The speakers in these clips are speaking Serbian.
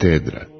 Katedra.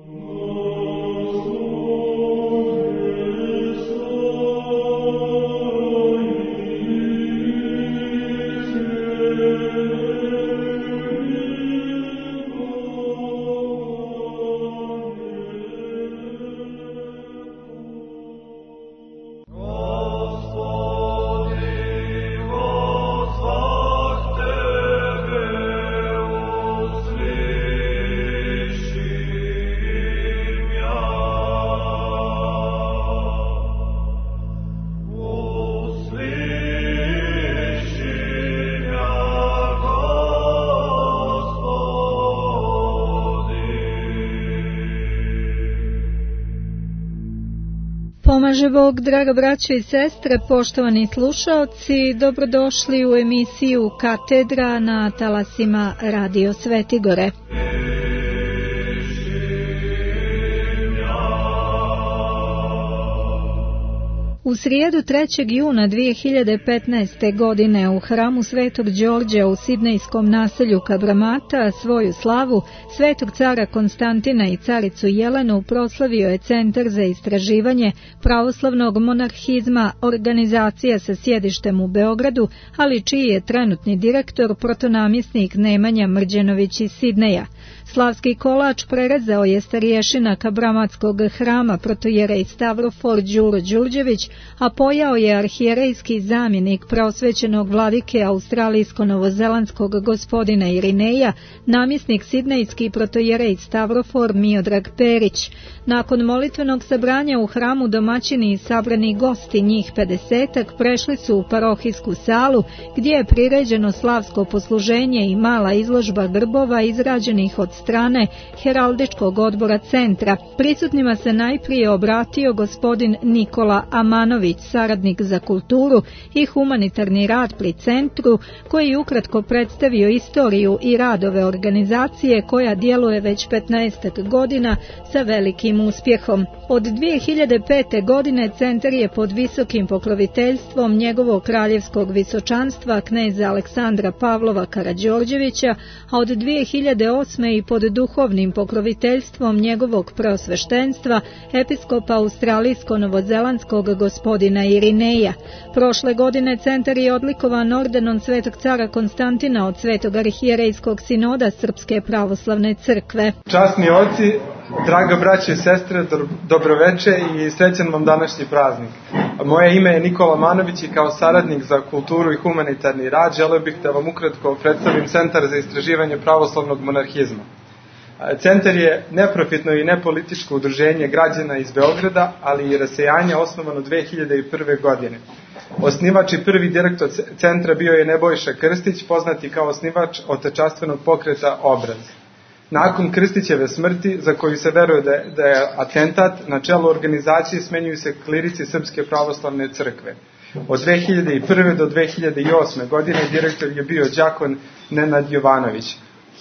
Pomaže Bog, draga braćo i sestre, poštovani slušaoci, dobrodošli u emisiju Katedra na talasima Radio Svetigore. U srijedu 3. juna 2015. godine u hramu Svetog Đorđa u sidnejskom naselju Kabramata svoju slavu Svetog cara Konstantina i caricu Jelenu proslavio je Centar za istraživanje pravoslavnog monarhizma, organizacija sa sjedištem u Beogradu, ali čiji je trenutni direktor protonamjesnik Nemanja Mrđenović iz Sidneja. Slavski kolač prerezao je starješina Kabramatskog hrama protojerej Stavrofor Đuro Đurđević, a pojao je arhijerejski zamjenik preosvećenog vladike australijsko-novozelandskog gospodina Irineja, namjesnik sidnejski protojerej Stavrofor Miodrag Perić. Nakon molitvenog sabranja u hramu domaćini i sabrani gosti, njih 50-ak, prešli su u parohijsku salu gdje je priređeno slavsko posluženje i mala izložba grbova izrađenih od strane heraldičkog odbora centra. Prisutnima se najprije obratio gospodin Nikola Amanović, saradnik za kulturu i humanitarni rad pri centru, koji ukratko predstavio istoriju i radove organizacije koja djeluje već 15 godina sa velikim uspjehom. Od 2005. godine centar je pod visokim pokroviteljstvom njegovog kraljevskog visočanstva kneza Aleksandra Pavlova Karađorđevića, a od 2008. i pod duhovnim pokroviteljstvom njegovog preosveštenstva episkopa australijsko-novozelandskog gospodina Irineja. Prošle godine centar je odlikovan ordenom Svetog cara Konstantina od Svetog arhijerejskog sinoda Srpske pravoslavne crkve. Časni oci, draga braće i sestre, dobroveče i srećan vam današnji praznik. Moje ime je Nikola Amanović i kao saradnik za kulturu i humanitarni rad želeo bih da vam ukratko predstavim Centar za istraživanje pravoslavnog monarhizma. Centar je neprofitno i nepolitičko udruženje građana iz Beograda, ali i rasejanja, osnovano 2001. godine. Osnivač i prvi direktor centra bio je Nebojša Krstić, poznati kao osnivač otečastvenog pokreta Obraz. Nakon Krstićeve smrti, za koju se veruje da je atentat, na čelu organizacije smenjuju se klirici Srpske pravoslavne crkve. Od 2001. do 2008. godine direktor je bio đakon Nenad Jovanović.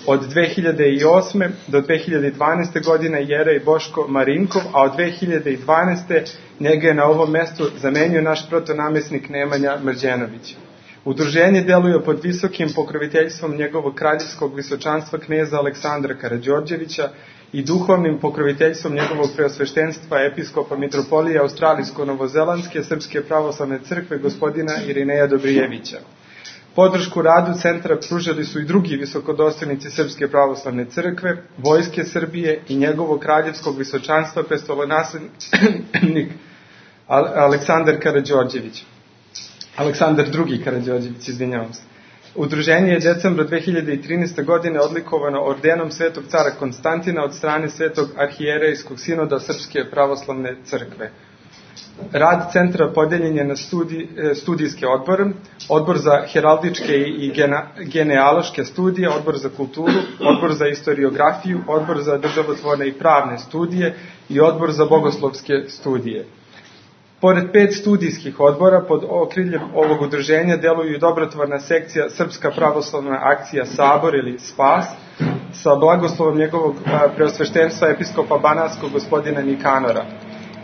Od 2008. do 2012. godine jerej Boško Marinkov, a od 2012. njega je na ovom mestu zamenio naš protonamjesnik Nemanja Mrđenović. Udruženje deluje pod visokim pokroviteljstvom njegovog kraljevskog visočanstva kneza Aleksandra Karađorđevića i duhovnim pokroviteljstvom njegovog preosveštenstva episkopa mitropolije australijsko-novozelandske Srpske pravoslavne crkve gospodina Irineja Dobrijevića. Podršku radu centra pružili su i drugi visokodostojnici Srpske pravoslavne crkve, Vojske Srbije i njegovog kraljevskog visočanstva prestolonaslednik Aleksandar Karađorđević. Aleksandar II. Karađorđević, izvinjavam se. Udruženje je decembra 2013. godine odlikovano ordenom Svetog cara Konstantina od strane Svetog arhijerejskog sinoda Srpske pravoslavne crkve. Rad centra podeljen je na studijske odbore, odbor za heraldičke i genealoške studije, odbor za kulturu, odbor za istoriografiju, odbor za državotvorne i pravne studije i odbor za bogoslovske studije. Pored 5 studijskih odbora, pod okriljem ovog udruženja deluju i dobrotvorna sekcija Srpska pravoslavna akcija Sabor ili Spas, sa blagoslovom njegovog preosveštenstva episkopa banatskog gospodina Nikanora,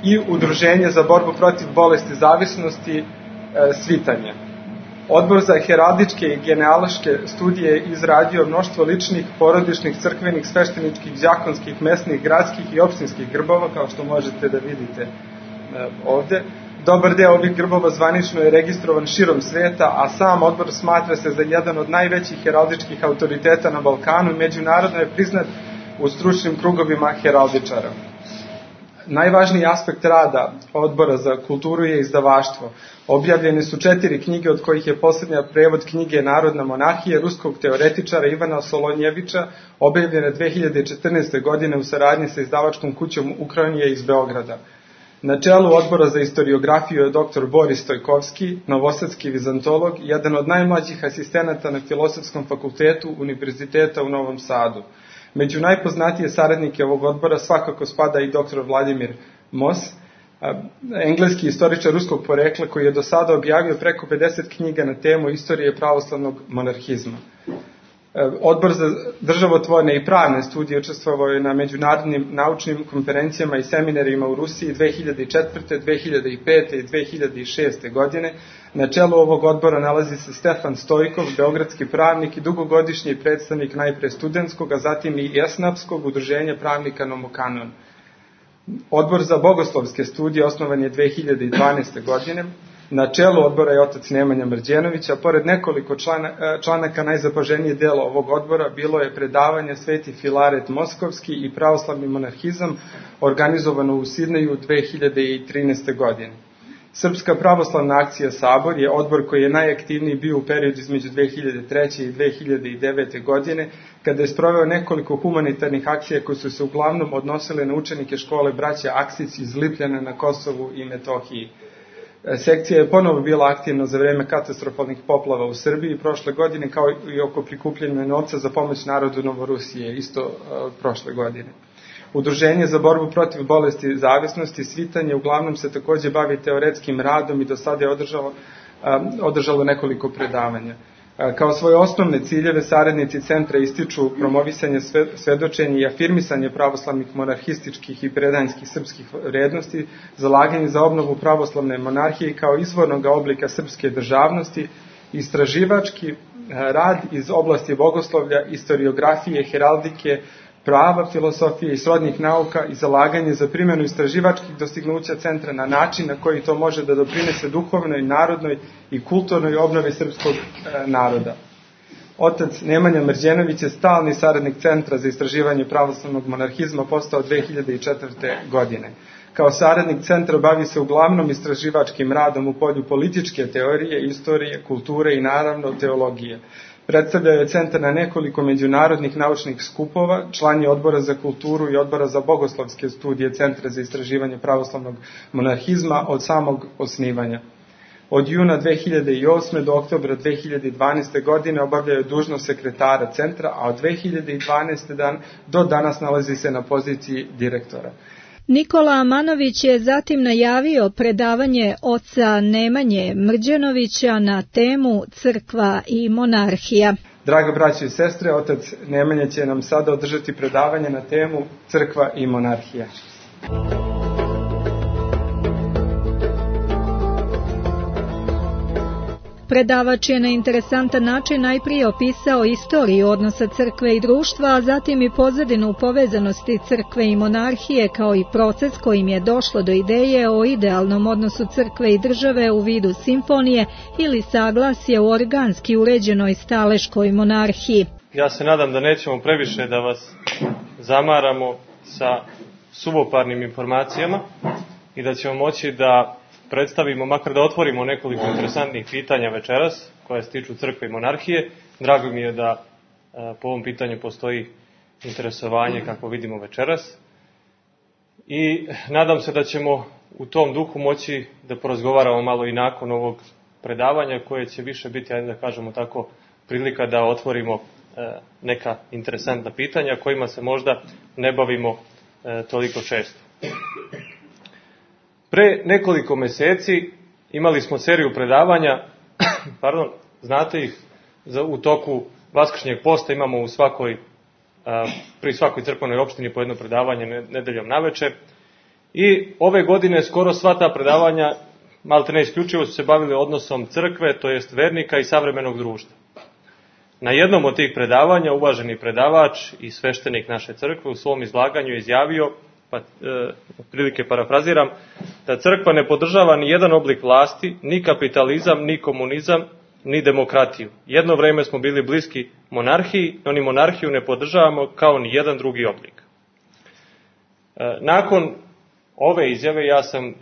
i udruženje za borbu protiv bolesti zavisnosti Svitanje. Odbor za heraldičke i genealoške studije je izradio mnoštvo ličnih, porodičnih, crkvenih, svešteničkih, đakonskih, mesnih, gradskih i opštinskih grbova, kao što možete da vidite ovde. Dobar deo ovih grbova zvanično je registrovan širom sveta, a sam odbor smatra se za jedan od najvećih heraldičkih autoriteta na Balkanu i međunarodno je priznat u stručnim krugovima heraldičara. Najvažniji aspekt rada Odbora za kulturu je izdavaštvo. Objavljene su 4 knjige, od kojih je posljednja prevod knjige Narodna monarhija ruskog teoretičara Ivana Solonjevića, objavljena 2014. godine u saradnji sa izdavačkom kućom Ukranije iz Beograda. Na čelu Odbora za istoriografiju je dr. Boris Stojkovski, novosadski vizantolog, jedan od najmlađih asistenata na Filosofskom fakultetu Univerziteta u Novom Sadu. Među najpoznatije saradnike ovog odbora svakako spada i dr. Vladimir Moss, engleski istoričar ruskog porekla koji je do sada objavio preko 50 knjiga na temu istorije pravoslavnog monarhizma. Odbor za državotvorne i pravne studije učestvovao je na međunarodnim naučnim konferencijama i seminarima u Rusiji 2004., 2005. i 2006. godine. Na čelu ovog odbora nalazi se Stefan Stojkov, beogradski pravnik i dugogodišnji predstavnik najpre studentskog, a zatim i esnapskog udruženja pravnika Nomokanon. Odbor za bogoslovske studije osnovan je 2012. godine. Na čelu odbora je otac Nemanja Mrđenović, a pored nekoliko članaka najzapaženije delo ovog odbora bilo je predavanje Sveti Filaret Moskovski i pravoslavni monarhizam, organizovano u Sidneju 2013. godine. Srpska pravoslavna akcija Sabor je odbor koji je najaktivniji bio u periodu između 2003. i 2009. godine, kada je sproveo nekoliko humanitarnih akcija koje su se uglavnom odnosile na učenike škole braća Aksić iz Lipljana na Kosovu i Metohiji. Sekcija je ponovo bila aktivna za vreme katastrofalnih poplava u Srbiji prošle godine, kao i oko prikupljanja novca za pomoć narodu Novorusije, isto prošle godine. Udruženje za borbu protiv bolesti zavisnosti, svitanje, uglavnom se takođe bavi teoretskim radom i do sada je održalo nekoliko predavanja. Kao svoje osnovne ciljeve saradnici centra ističu promovisanje svedočenja i afirmisanje pravoslavnih monarhističkih i predanjskih srpskih vrednosti, zalaganje za obnovu pravoslavne monarhije kao izvornog oblika srpske državnosti, istraživački rad iz oblasti bogoslovlja, istoriografije, heraldike, prava, filosofije i srodnih nauka i zalaganje za primjenu istraživačkih dostignuća centra na način na koji to može da doprinese duhovnoj, narodnoj i kulturnoj obnovi srpskog naroda. Otac Nemanja Mrđenović je stalni saradnik Centra za istraživanje pravoslavnog monarhizma postao 2004. godine. Kao saradnik centra bavi se uglavnom istraživačkim radom u polju političke teorije, istorije, kulture i naravno teologije. Predstavljao je centar na nekoliko međunarodnih naučnih skupova, član je Odbora za kulturu i Odbora za bogoslovske studije Centra za istraživanje pravoslavnog monarhizma od samog osnivanja. Od juna 2008. do oktobra 2012. godine obavljao je dužnost sekretara centra, a od 2012. do danas nalazi se na poziciji direktora. Nikola Amanović je zatim najavio predavanje oca Nemanje Mrđenovića na temu Crkva i monarhija. Draga braćo i sestre, otac Nemanja će nam sada održati predavanje na temu Crkva i monarhija. Predavač je na interesantan način najprije opisao istoriju odnosa crkve i društva, a zatim i pozadinu povezanosti crkve i monarhije, kao i proces kojim je došlo do ideje o idealnom odnosu crkve i države u vidu simfonije ili saglasje u organski uređenoj staleškoj monarhiji. Ja se nadam da nećemo previše da vas zamaramo sa suvoparnim informacijama i da ćemo moći da predstavimo, makar da otvorimo nekoliko interesantnih pitanja večeras koje se tiču crkve i monarhije. Drago mi je da po ovom pitanju postoji interesovanje kako vidimo večeras. I nadam se da ćemo u tom duhu moći da porazgovaramo malo i nakon ovog predavanja koje će više biti, ajde da kažemo tako, prilika da otvorimo neka interesantna pitanja kojima se možda ne bavimo toliko često. Pre nekoliko meseci imali smo seriju predavanja, znate ih, u toku Vaskršnjeg posta imamo pri svakoj crkvenoj opštini po jedno predavanje nedeljom naveče. I ove godine skoro sva ta predavanja maltene isključivo su se bavili odnosom crkve, to jest vernika i savremenog društva. Na jednom od tih predavanja uvaženi predavač i sveštenik naše crkve u svom izlaganju je izjavio, pa otprilike parafraziram, da crkva ne podržava ni jedan oblik vlasti, ni kapitalizam, ni komunizam, ni demokratiju. Jedno vreme smo bili bliski monarhiji, no ni monarhiju ne podržavamo kao ni jedan drugi oblik. Nakon ove izjave ja sam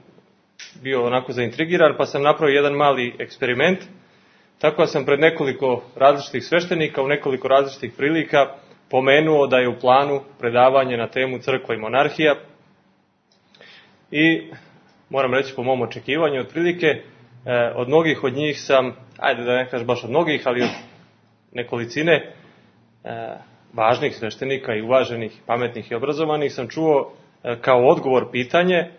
bio onako zaintrigiran, pa sam napravio jedan mali eksperiment. Tako sam pred nekoliko različitih sveštenika u nekoliko različitih prilika pomenuo da je u planu predavanje na temu crkva i monarhija. I moram reći po mom očekivanju, otprilike od mnogih od njih sam, ajde da ne kažem baš od mnogih, ali od nekolicine važnih sveštenika i uvaženih, pametnih i obrazovanih sam čuo kao odgovor pitanje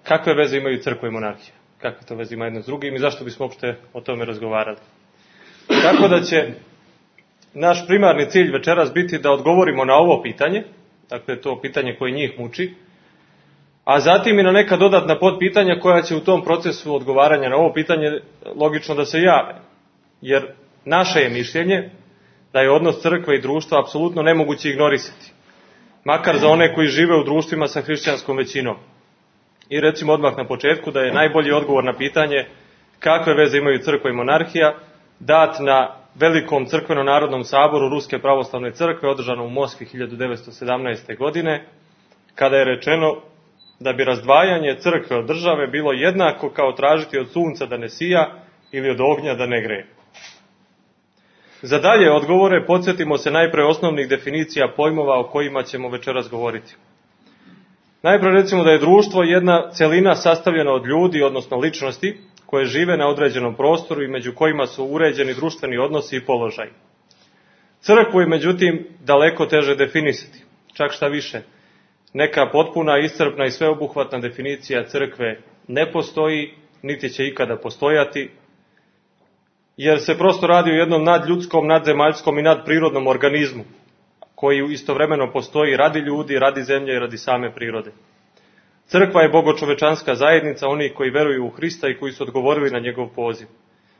kakve veze imaju crkva i monarhija. Kakve to veze ima jedno s drugim i zašto bismo uopšte o tome razgovarali. Tako da će naš primarni cilj večeras biti da odgovorimo na ovo pitanje, dakle to pitanje koje njih muči, a zatim i na neka dodatna podpitanja koja će u tom procesu odgovaranja na ovo pitanje logično da se jave. Jer naše je mišljenje da je odnos crkve i društva apsolutno nemoguće ignorisati. Makar za one koji žive u društvima sa hrišćanskom većinom. I recimo odmah na početku da je najbolji odgovor na pitanje kakve veze imaju crkva i monarhija dat na velikom crkveno-narodnom saboru Ruske pravoslavne crkve održanom u Moskvi 1917. godine, kada je rečeno da bi razdvajanje crkve od države bilo jednako kao tražiti od sunca da ne sija ili od ognja da ne greje. Za dalje odgovore podsjetimo se najpre osnovnih definicija pojmova o kojima ćemo večeras govoriti. Najpre recimo da je društvo jedna celina sastavljena od ljudi, odnosno ličnosti, koje žive na određenom prostoru i među kojima su uređeni društveni odnosi i položaj. Crkvu je međutim daleko teže definisati, čak šta više. Neka potpuna, iscrpna i sveobuhvatna definicija crkve ne postoji, niti će ikada postojati, jer se prosto radi o jednom nadljudskom, nadzemaljskom i nadprirodnom organizmu, koji istovremeno postoji radi ljudi, radi zemlje i radi same prirode. Crkva je bogočovečanska zajednica onih koji veruju u Hrista i koji su odgovorili na njegov poziv.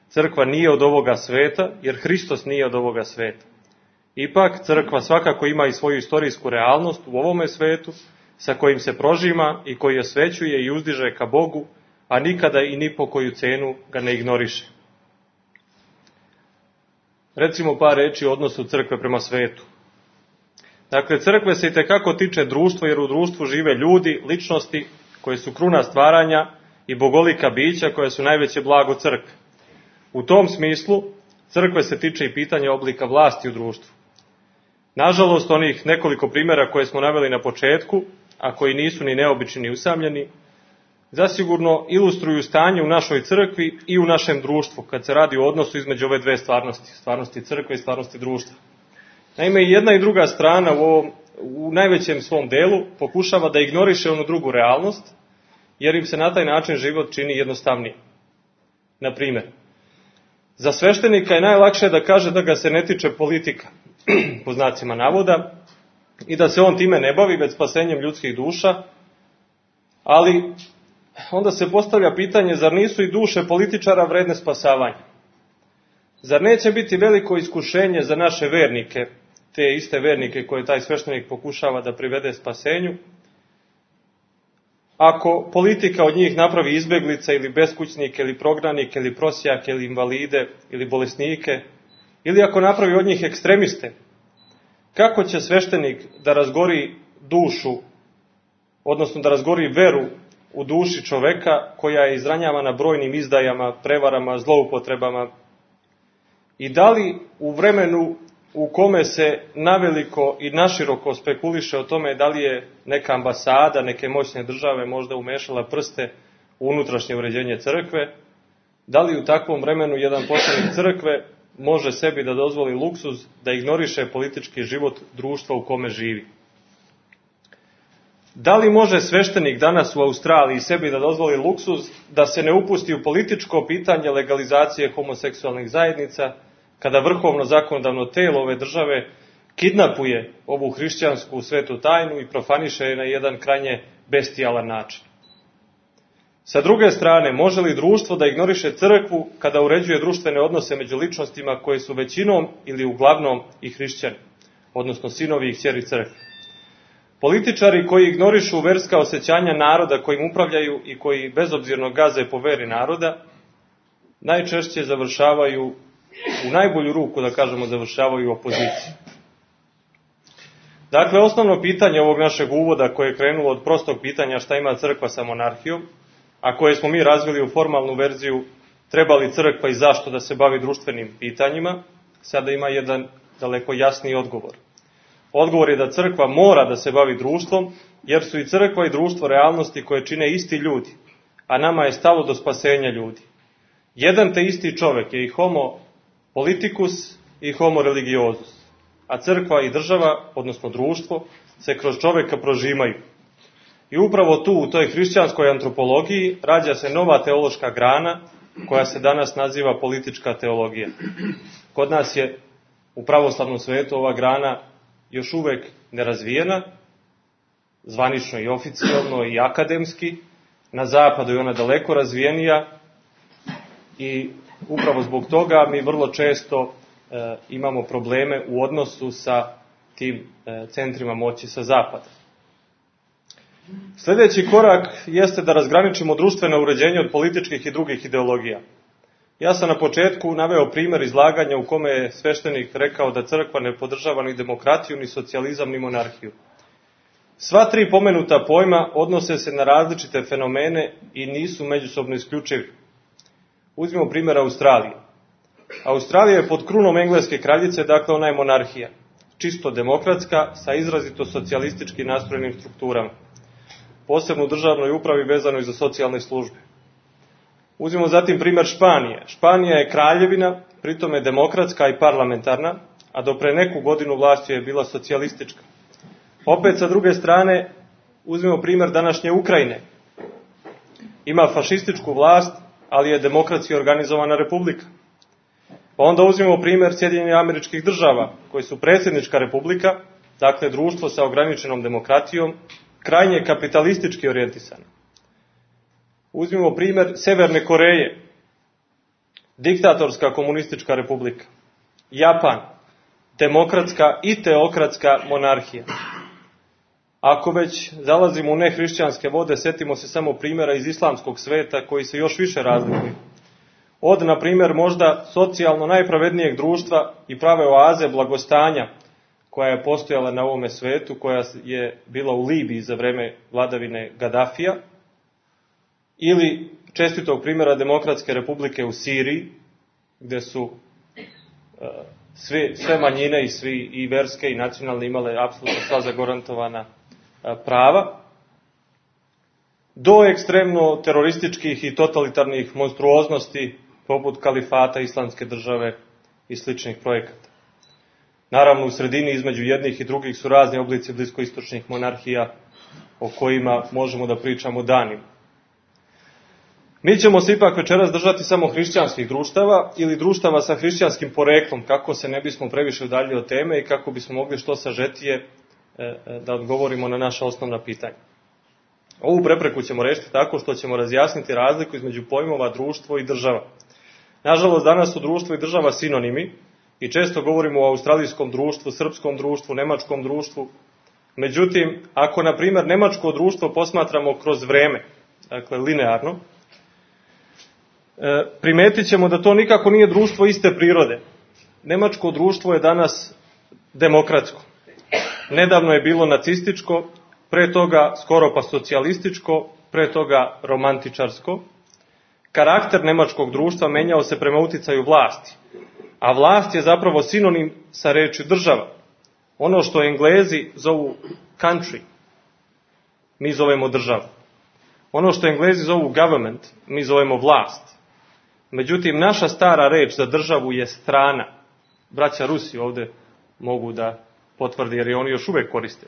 Crkva nije od ovoga sveta, jer Hristos nije od ovoga sveta. Ipak, crkva svakako ima i svoju istorijsku realnost u ovome svetu, sa kojim se prožima i koji osvećuje i uzdiže ka Bogu, a nikada i ni po koju cenu ga ne ignoriše. Recimo par reči o odnosu crkve prema svetu. Dakle, crkve se itekako tiče društva, jer u društvu žive ljudi, ličnosti koje su kruna stvaranja i bogolika bića koja su najveće blago crkve. U tom smislu, crkve se tiče i pitanja oblika vlasti u društvu. Nažalost, onih nekoliko primjera koje smo naveli na početku, a koji nisu ni neobični ni usamljeni, zasigurno ilustruju stanje u našoj crkvi i u našem društvu, kad se radi o odnosu između ove dve stvarnosti, stvarnosti crkve i stvarnosti društva. Naime, i jedna i druga strana u najvećem svom delu pokušava da ignoriše onu drugu realnost, jer im se na taj način život čini jednostavniji. Na primjer, za sveštenika je najlakše da kaže da ga se ne tiče politika, po znacima navoda, i da se on time ne bavi već spasenjem ljudskih duša, ali onda se postavlja pitanje, zar nisu i duše političara vredne spasavanja? Zar neće biti veliko iskušenje za naše vernike, te iste vernike koje taj sveštenik pokušava da privede spasenju, ako politika od njih napravi izbeglice ili beskućnike ili prognanike ili prosjake ili invalide ili bolesnike, ili ako napravi od njih ekstremiste, kako će sveštenik da razgori dušu, odnosno da razgori veru u duši čoveka koja je izranjavana brojnim izdajama, prevarama, zloupotrebama? I da li u vremenu u kome se naveliko i naširoko spekuliše o tome da li je neka ambasada, neke moćne države možda umešala prste u unutrašnje uređenje crkve, da li u takvom vremenu jedan poslanik crkve može sebi da dozvoli luksuz da ignoriše politički život društva u kome živi? Da li može sveštenik danas u Australiji sebi da dozvoli luksuz da se ne upusti u političko pitanje legalizacije homoseksualnih zajednica, kada vrhovno zakonodavno telo ove države kidnapuje ovu hrišćansku svetu tajnu i profaniše je na jedan krajnje bestijalan način? Sa druge strane, može li društvo da ignoriše crkvu kada uređuje društvene odnose među ličnostima koje su većinom ili uglavnom i hrišćani, odnosno sinovi i kćeri crkve? Političari koji ignorišu verska osjećanja naroda kojim upravljaju i koji bezobzirno gaze po veri naroda, najčešće završavaju, u najbolju ruku da kažemo, završavaju u opoziciji. Dakle, osnovno pitanje ovog našeg uvoda koje je krenulo od prostog pitanja šta ima crkva sa monarhijom, a koje smo mi razvili u formalnu verziju treba li crkva i zašto da se bavi društvenim pitanjima, sada ima jedan daleko jasniji odgovor. Odgovor je da crkva mora da se bavi društvom, jer su i crkva i društvo realnosti koje čine isti ljudi, a nama je stalo do spasenja ljudi. Jedan te isti čovjek je i homo politicus i homo religiosus, a crkva i država, odnosno društvo, se kroz čovjeka prožimaju. I upravo tu, u toj hrišćanskoj antropologiji, rađa se nova teološka grana, koja se danas naziva politička teologija. Kod nas je u pravoslavnom svetu ova grana još uvek nerazvijena, zvanično i oficijalno i akademski, na zapadu je ona daleko razvijenija i upravo zbog toga mi vrlo često imamo probleme u odnosu sa tim centrima moći sa zapada. Sljedeći korak jeste da razgraničimo društveno uređenje od političkih i drugih ideologija. Ja sam na početku naveo primjer izlaganja u kome je sveštenik rekao da crkva ne podržava ni demokratiju, ni socijalizam, ni monarhiju. Sva tri pomenuta pojma odnose se na različite fenomene i nisu međusobno isključivi. Uzmimo primjer Australije. Australija je pod krunom engleske kraljice, dakle ona je monarhija. Čisto demokratska, sa izrazito socijalistički nastrojenim strukturama. Posebno u državnoj upravi vezanoj za socijalne službe. Uzmimo zatim primjer Španije. Španija je kraljevina, pritom je demokratska i parlamentarna, a do pre neku godinu vlast je bila socijalistička. Opet sa druge strane, uzmimo primjer današnje Ukrajine. Ima fašističku vlast, ali je demokratski organizovana republika. Pa onda uzmimo primjer Sjedinjenih Američkih Država, koji su predsjednička republika, dakle društvo sa ograničenom demokratijom, krajnje kapitalistički orijentisano. Uzmimo primjer Severne Koreje, diktatorska komunistička republika. Japan, demokratska i teokratska monarhija. Ako već zalazimo u nehrišćanske vode, setimo se samo primjera iz islamskog sveta koji se još više razlikuju. Od, na primjer, možda socijalno najpravednijeg društva i prave oaze blagostanja koja je postojala na ovome svetu, koja je bila u Libiji za vreme vladavine Gadafija, ili čestitog primjera Demokratske republike u Siriji, gdje su sve manjine i verske i nacionalne imale apsolutno sva zagarantovana prava, do ekstremno terorističkih i totalitarnih monstruoznosti poput kalifata, islamske države i sličnih projekata. Naravno, u sredini između jednih i drugih su razni oblici bliskoistočnih monarhija o kojima možemo da pričamo danima. Mi ćemo se ipak večeras držati samo hrišćanskih društava ili društava sa hrišćanskim poreklom, kako se ne bismo previše udaljili od teme i kako bismo mogli što sažetije da odgovorimo na naša osnovna pitanja. Ovu prepreku ćemo rešiti tako što ćemo razjasniti razliku između pojmova društvo i država. Nažalost, danas su društvo i država sinonimi i često govorimo o australijskom društvu, srpskom društvu, nemačkom društvu. Međutim, ako, na primjer, nemačko društvo posmatramo kroz vreme, dakle linearno, primetit ćemo da to nikako nije društvo iste prirode. Nemačko društvo je danas demokratsko. Nedavno je bilo nacističko, pre toga skoro pa socijalističko, pre toga romantičarsko. Karakter nemačkog društva menjao se prema uticaju vlasti, a vlast je zapravo sinonim sa rečju država. Ono što Englezi zovu country, mi zovemo državu. Ono što Englezi zovu government, mi zovemo vlast. Međutim, naša stara reč za državu je strana. Braća Rusi ovdje mogu da potvrdi, jer je oni još uvek koriste.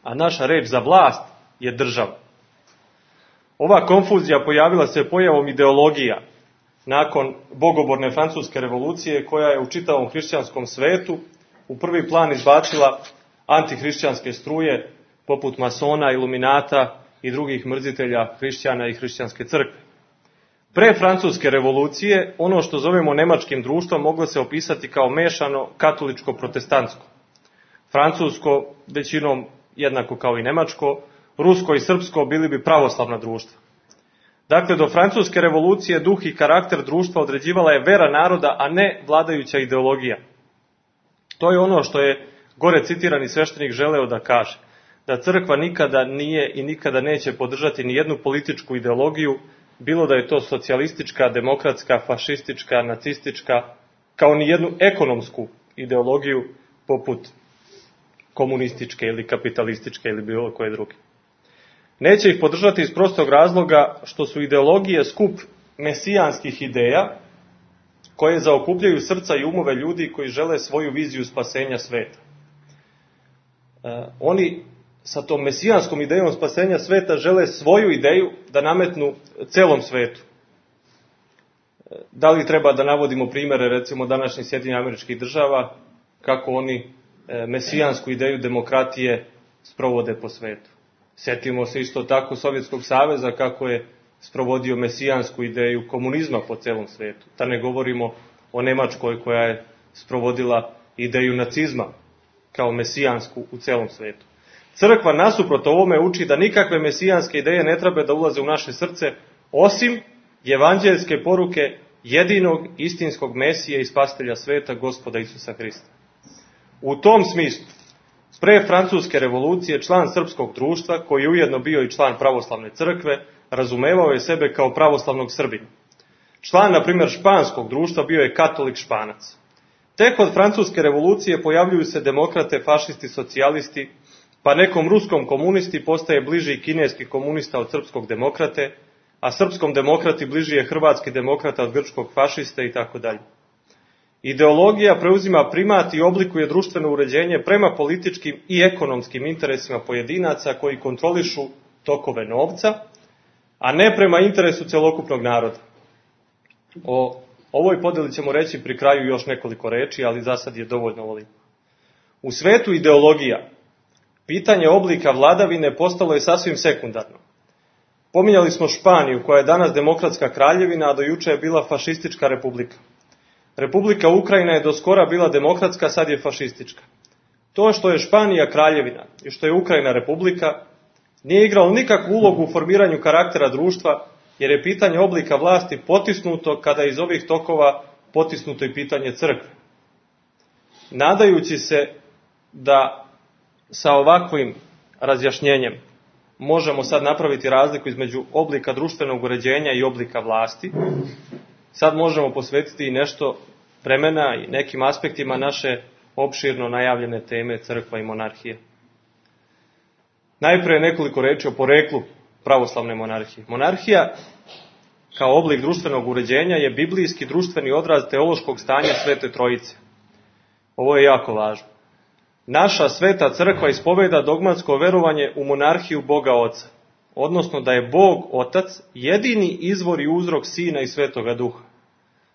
A naša reč za vlast je država. Ova konfuzija pojavila se pojavom ideologija nakon bogoborne francuske revolucije, koja je u čitavom hrišćanskom svetu u prvi plan izbacila antihrišćanske struje poput masona, iluminata i drugih mrzitelja hrišćana i hrišćanske crkve. Pre francuske revolucije, ono što zovemo nemačkim društvom moglo se opisati kao mešano katoličko-protestantsko. Francusko, većinom jednako kao i nemačko, rusko i srpsko bili bi pravoslavna društva. Dakle, do francuske revolucije duh i karakter društva određivala je vera naroda, a ne vladajuća ideologija. To je ono što je gore citirani sveštenik želeo da kaže, da crkva nikada nije i nikada neće podržati ni jednu političku ideologiju, bilo da je to socijalistička, demokratska, fašistička, nacistička, kao ni jednu ekonomsku ideologiju poput komunističke ili kapitalističke ili bilo koje druge. Neće ih podržati iz prostog razloga što su ideologije skup mesijanskih ideja koje zaokupljaju srca i umove ljudi koji žele svoju viziju spasenja sveta. Oni sa tom mesijanskom idejom spasenja sveta žele svoju ideju da nametnu celom svetu. Da li treba da navodimo primere, recimo, današnjih Sjedinjenih Američkih Država, kako oni mesijansku ideju demokratije sprovode po svetu. Sjetimo se isto tako Sovjetskog saveza kako je sprovodio mesijansku ideju komunizma po celom svetu. Da ne govorimo o Nemačkoj koja je sprovodila ideju nacizma kao mesijansku u celom svetu. Crkva nasuprot ovome uči da nikakve mesijanske ideje ne treba da ulaze u naše srce, osim evanđeljske poruke jedinog istinskog Mesije i spasitelja sveta, Gospoda Isusa Hrista. U tom smislu, pre francuske revolucije, član srpskog društva, koji je ujedno bio i član pravoslavne crkve, razumevao je sebe kao pravoslavnog Srbina. Član, na primjer, španskog društva bio je katolik Španac. Tek od francuske revolucije pojavljuju se demokrate, fašisti, socijalisti, pa nekom ruskom komunisti postaje bliži kineski komunista od srpskog demokrate, a srpskom demokrati bliži je hrvatski demokrata od grčkog fašiste itd. Ideologija preuzima primat i oblikuje društveno uređenje prema političkim i ekonomskim interesima pojedinaca koji kontrolišu tokove novca, a ne prema interesu celokupnog naroda. O ovoj podeli ćemo reći pri kraju još nekoliko reči, ali za sad je dovoljno ovoliko. U svetu ideologija, pitanje oblika vladavine postalo je sasvim sekundarno. Pominjali smo Španiju, koja je danas demokratska kraljevina, a do juče je bila fašistička republika. Republika Ukrajina je do skora bila demokratska, sad je fašistička. To što je Španija kraljevina i što je Ukrajina republika nije igralo nikakvu ulogu u formiranju karaktera društva, jer je pitanje oblika vlasti potisnuto kada je iz ovih tokova potisnuto i pitanje crkve. Nadajući se da sa ovakvim razjašnjenjem možemo sad napraviti razliku između oblika društvenog uređenja i oblika vlasti, sad možemo posvetiti i nešto vremena i nekim aspektima naše opširno najavljene teme crkva i monarhije. Najprije nekoliko reči o poreklu pravoslavne monarhije. Monarhija kao oblik društvenog uređenja je biblijski društveni odraz teološkog stanja Svete Trojice. Ovo je jako važno. Naša Sveta crkva ispoveda dogmatsko verovanje u monarhiju Boga Oca, odnosno da je Bog Otac jedini izvor i uzrok Sina i Svetoga Duha.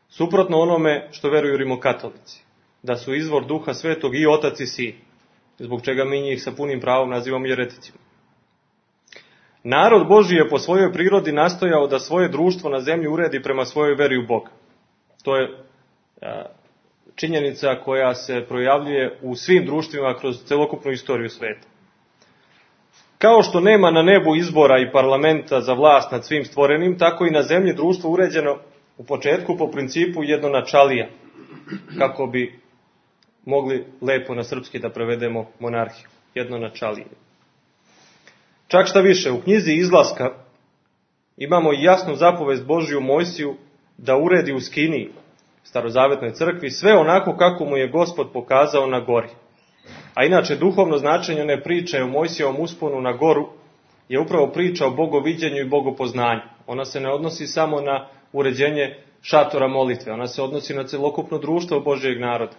Suprotno onome što veruju rimokatolici, da su izvor Duha Svetog i Otac i Sin, zbog čega mi njih sa punim pravom nazivamo jereticima. Narod Božji je po svojoj prirodi nastojao da svoje društvo na zemlji uredi prema svojoj veri u Boga. To je činjenica koja se projavljuje u svim društvima kroz celokupnu istoriju sveta. Kao što nema na nebu izbora i parlamenta za vlast nad svim stvorenim, tako i na zemlji društvo uređeno u početku po principu jednonačalija, kako bi mogli lepo na srpski da prevedemo monarhiju, jednonačalije. Čak šta više, u knjizi Izlaska imamo jasnu zapovest Božju Mojsiju da uredi u Skiniji, starozavetnoj crkvi, sve onako kako mu je Gospod pokazao na gori. A inače, duhovno značenje one priče o Mojsijevom usponu na goru je upravo priča o bogoviđenju i bogopoznanju. Ona se ne odnosi samo na uređenje šatora molitve, ona se odnosi na celokupno društvo Božjeg naroda.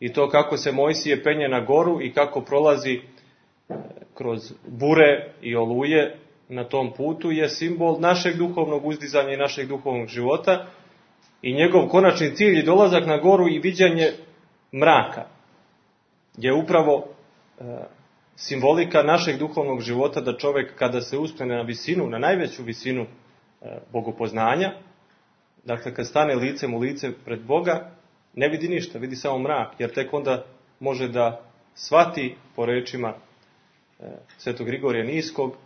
I to kako se Mojsije penje na goru i kako prolazi kroz bure i oluje na tom putu je simbol našeg duhovnog uzdizanja i našeg duhovnog života i njegov konačni cilj je dolazak na goru i viđanje mraka je upravo simbolika našeg duhovnog života da čovjek kada se uspne na visinu, na najveću visinu bogopoznanja, dakle kad stane licem u lice pred Boga, ne vidi ništa, vidi samo mrak, jer tek onda može da shvati po rečima Svetog Grigorija Niskog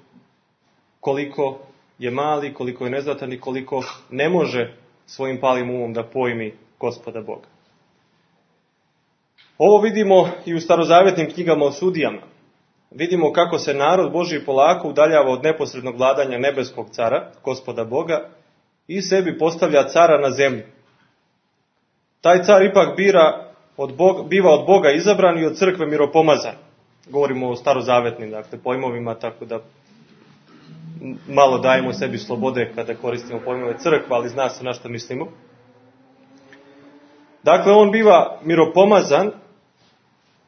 koliko je mali, koliko je neznatan i koliko ne može svojim palim umom da pojmi Gospoda Boga. Ovo vidimo i u starozavjetnim knjigama o sudijama. Vidimo kako se narod Božji polako udaljava od neposrednog vladanja nebeskog cara, Gospoda Boga, i sebi postavlja cara na zemlji. Taj car ipak biva od Boga izabran i od crkve miropomazan. Govorimo o starozavetnim pojmovima, tako da malo dajemo sebi slobode kada koristimo pojmove crkva, ali zna se na što mislimo. Dakle, on biva miropomazan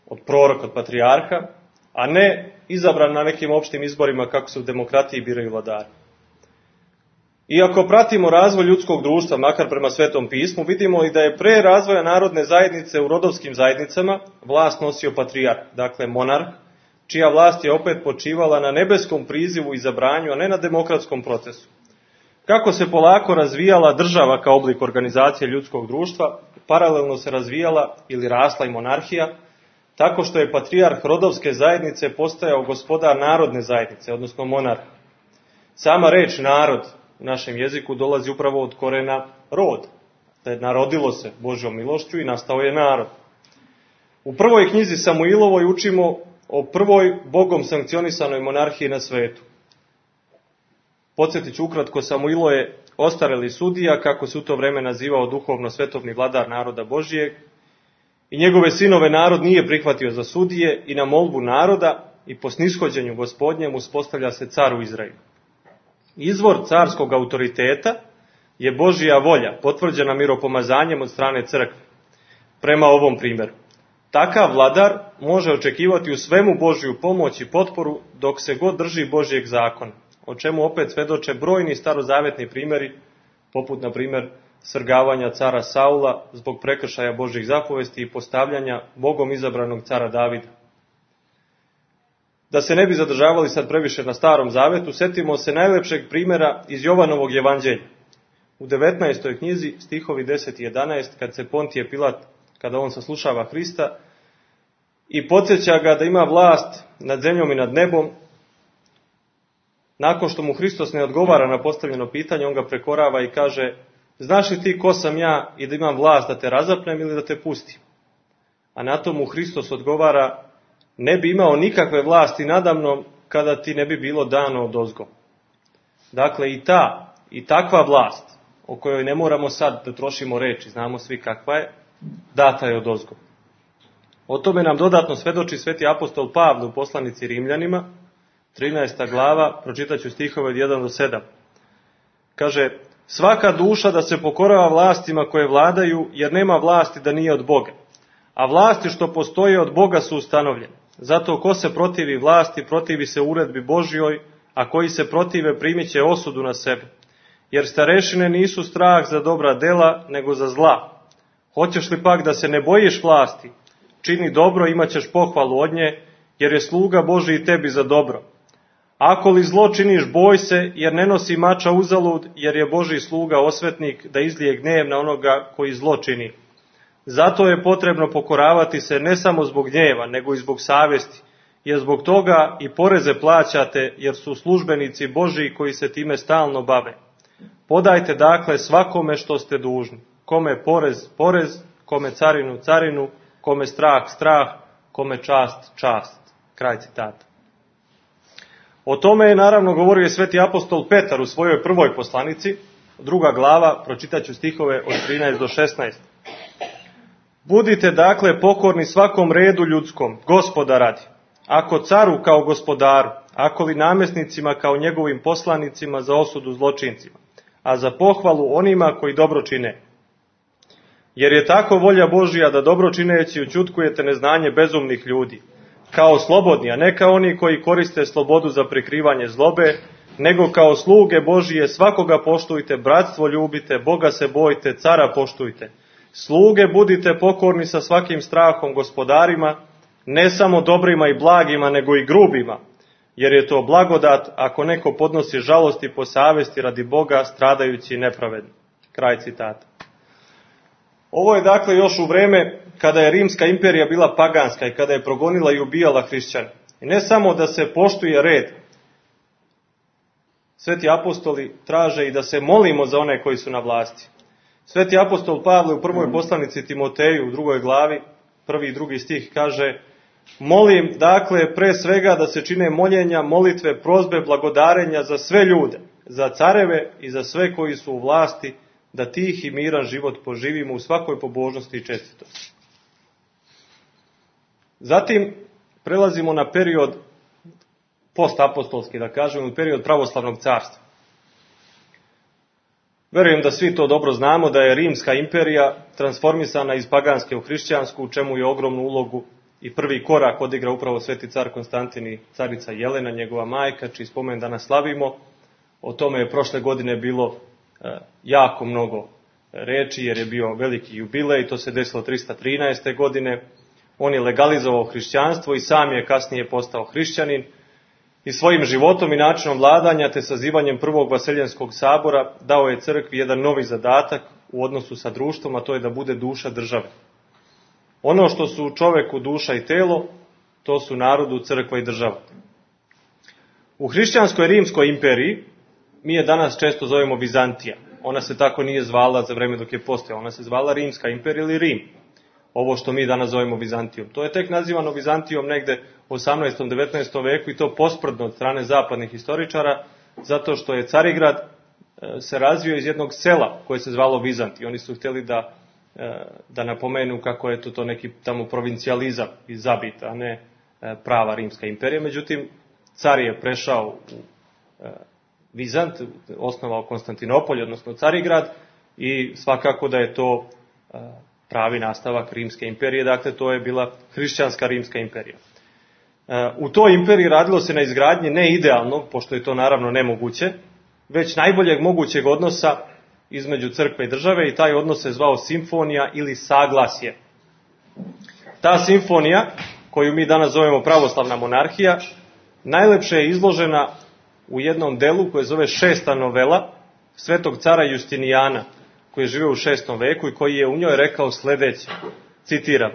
od proroka, od patrijarha, a ne izabran na nekim opštim izborima kako se u demokratiji biraju vladari. I ako pratimo razvoj ljudskog društva, makar prema Svetom pismu, vidimo i da je pre razvoja narodne zajednice u rodovskim zajednicama vlast nosio patrijarh, dakle monarh, čija vlast je opet počivala na nebeskom prizivu i zabranju, a ne na demokratskom procesu. Kako se polako razvijala država kao oblik organizacije ljudskog društva, paralelno se razvijala ili rasla i monarhija, tako što je patrijarh rodovske zajednice postajao gospodar narodne zajednice, odnosno monarh. Sama reč narod u našem jeziku dolazi upravo od korena rod. Narodilo se Božjom milošću i nastao je narod. U prvoj knjizi Samuilovoj učimo o prvoj Bogom sankcionisanoj monarhiji na svetu. Podsjetit ću ukratko, Samuilo je ostareli sudija, kako se u to vreme nazivao duhovno svetovni vladar naroda Božijeg, i njegove sinove narod nije prihvatio za sudije i na molbu naroda i po snishođenju Gospodnjem uspostavlja se car u Izraelu. Izvor carskog autoriteta je Božja volja, potvrđena miropomazanjem od strane crkve. Prema ovom primjeru, takav vladar može očekivati u svemu Božju pomoć i potporu dok se god drži Božjeg zakona, o čemu opet svedoče brojni starozavetni primjeri, poput na primjer svrgavanja cara Saula zbog prekršaja Božjih zapovesti i postavljanja Bogom izabranog cara Davida. Da se ne bi zadržavali sad previše na Starom Zavetu, setimo se najlepšeg primjera iz Jovanovog evanđelja. U 19. knjizi, stihovi 10 i 11, kad se Pontije Pilat, kada on saslušava Hrista i podsjeća ga da ima vlast nad zemljom i nad nebom, nakon što mu Hristos ne odgovara na postavljeno pitanje, on ga prekorava i kaže: znaš li ti ko sam ja i da imam vlast da te razapnem ili da te pustim? A na to mu Hristos odgovara: ne bi imao nikakve vlasti nadamnom kada ti ne bi bilo dano odozgo. Dakle, i takva vlast, o kojoj ne moramo sad da trošimo reči, znamo svi kakva je, data je odozgo. O tome nam dodatno svedoči sveti apostol Pavle u poslanici Rimljanima, 13. glava, pročitaću stihove od 1 do 7. Kaže: svaka duša da se pokorava vlastima koje vladaju, jer nema vlasti da nije od Boga. A vlasti što postoje od Boga su ustanovljene. Zato ko se protivi vlasti, protivi se uredbi Božjoj, a koji se protive primit će osudu na sebe. Jer starešine nisu strah za dobra dela, nego za zla. Hoćeš li pak da se ne bojiš vlasti? Čini dobro, imat ćeš pohvalu od nje, jer je sluga Božji i tebi za dobro. Ako li zlo činiš, boj se, jer ne nosi mača uzalud, jer je Božji sluga osvetnik da izlije gnjev na onoga koji zlo čini. Zato je potrebno pokoravati se ne samo zbog gnjeva, nego i zbog savjesti, jer zbog toga i poreze plaćate, jer su službenici Božji koji se time stalno bave. Podajte dakle svakome što ste dužni. Kome porez, porez, kome carinu, carinu, kome strah, strah, kome čast, čast. Kraj citata. O tome je naravno govorio i sveti apostol Petar u svojoj prvoj poslanici, 2. glava, pročitaću stihove od 13 do 16. Budite dakle pokorni svakom redu ljudskom, Gospoda radi, ako caru kao gospodaru, ako li namjesnicima kao njegovim poslanicima za osudu zločincima, a za pohvalu onima koji dobro čine. Jer je tako volja Božja da dobro čineći ućutkujete neznanje bezumnih ljudi, kao slobodni, a ne kao oni koji koriste slobodu za prikrivanje zlobe, nego kao sluge Božije svakoga poštujte, bratstvo ljubite, Boga se bojte, cara poštujte. Sluge budite pokorni sa svakim strahom gospodarima, ne samo dobrima i blagima, nego i grubima, jer je to blagodat ako neko podnosi žalosti po savesti radi Boga, stradajući i nepravedno. Kraj citata. Ovo je dakle još u vreme kada je Rimska imperija bila paganska i kada je progonila i ubijala hrišćane. I ne samo da se poštuje red, sveti apostoli traže i da se molimo za one koji su na vlasti. Sveti apostol Pavle u prvoj poslanici Timoteju u 2. glavi, 1. i 2. stih kaže: molim, dakle, pre svega da se čine moljenja, molitve, prozbe, blagodarenja za sve ljude, za careve i za sve koji su u vlasti, da tih i miran život poživimo u svakoj pobožnosti i čestitosti. Zatim prelazimo na period postapostolski, da kažemo, period pravoslavnog carstva. Verujem da svi to dobro znamo, da je Rimska imperija transformisana iz paganske u hrišćansku, u čemu je ogromnu ulogu i prvi korak odigra upravo sveti car Konstantin i carica Jelena, njegova majka, čiji spomen danas slavimo. O tome je prošle godine bilo jako mnogo reči, jer je bio veliki jubilej, to se desilo 313. godine. On je legalizovao hrišćanstvo i sam je kasnije postao hrišćanin i svojim životom i načinom vladanja te sazivanjem prvog Vaseljenskog sabora dao je crkvi jedan novi zadatak u odnosu sa društvom, a to je da bude duša države. Ono što su čoveku duša i telo, to su narodu crkva i država. U hrišćanskoj Rimskoj imperiji mi je danas često zovemo Vizantija. Ona se tako nije zvala za vreme dok je postojala. Ona se zvala Rimska imperija ili Rim. Ovo što mi danas zovemo Vizantijom. To je tek nazivano Vizantijom negde u 18. 19. veku i to posprdno od strane zapadnih historičara, zato što je Carigrad se razvio iz jednog sela koje se zvalo Vizantij. Oni su htjeli da napomenu kako je to neki tamo provincijalizam iz Zabita, a ne prava Rimska imperija. Međutim, car je prešao u Vizant, osnovao Konstantinopolj, odnosno Carigrad, i svakako da je to pravi nastavak Rimske imperije, dakle to je bila hrišćanska Rimska imperija. U toj imperiji radilo se na izgradnji ne idealnog, pošto je to naravno nemoguće, već najboljeg mogućeg odnosa između crkve i države, i taj odnos se zvao simfonija ili saglasje. Ta simfonija, koju mi danas zovemo pravoslavna monarhija, najlepše je izložena u jednom delu koje zove Šesta novela svetog cara Justinijana, koji je živio u 6. veku i koji je u njoj rekao sledeće, citiram: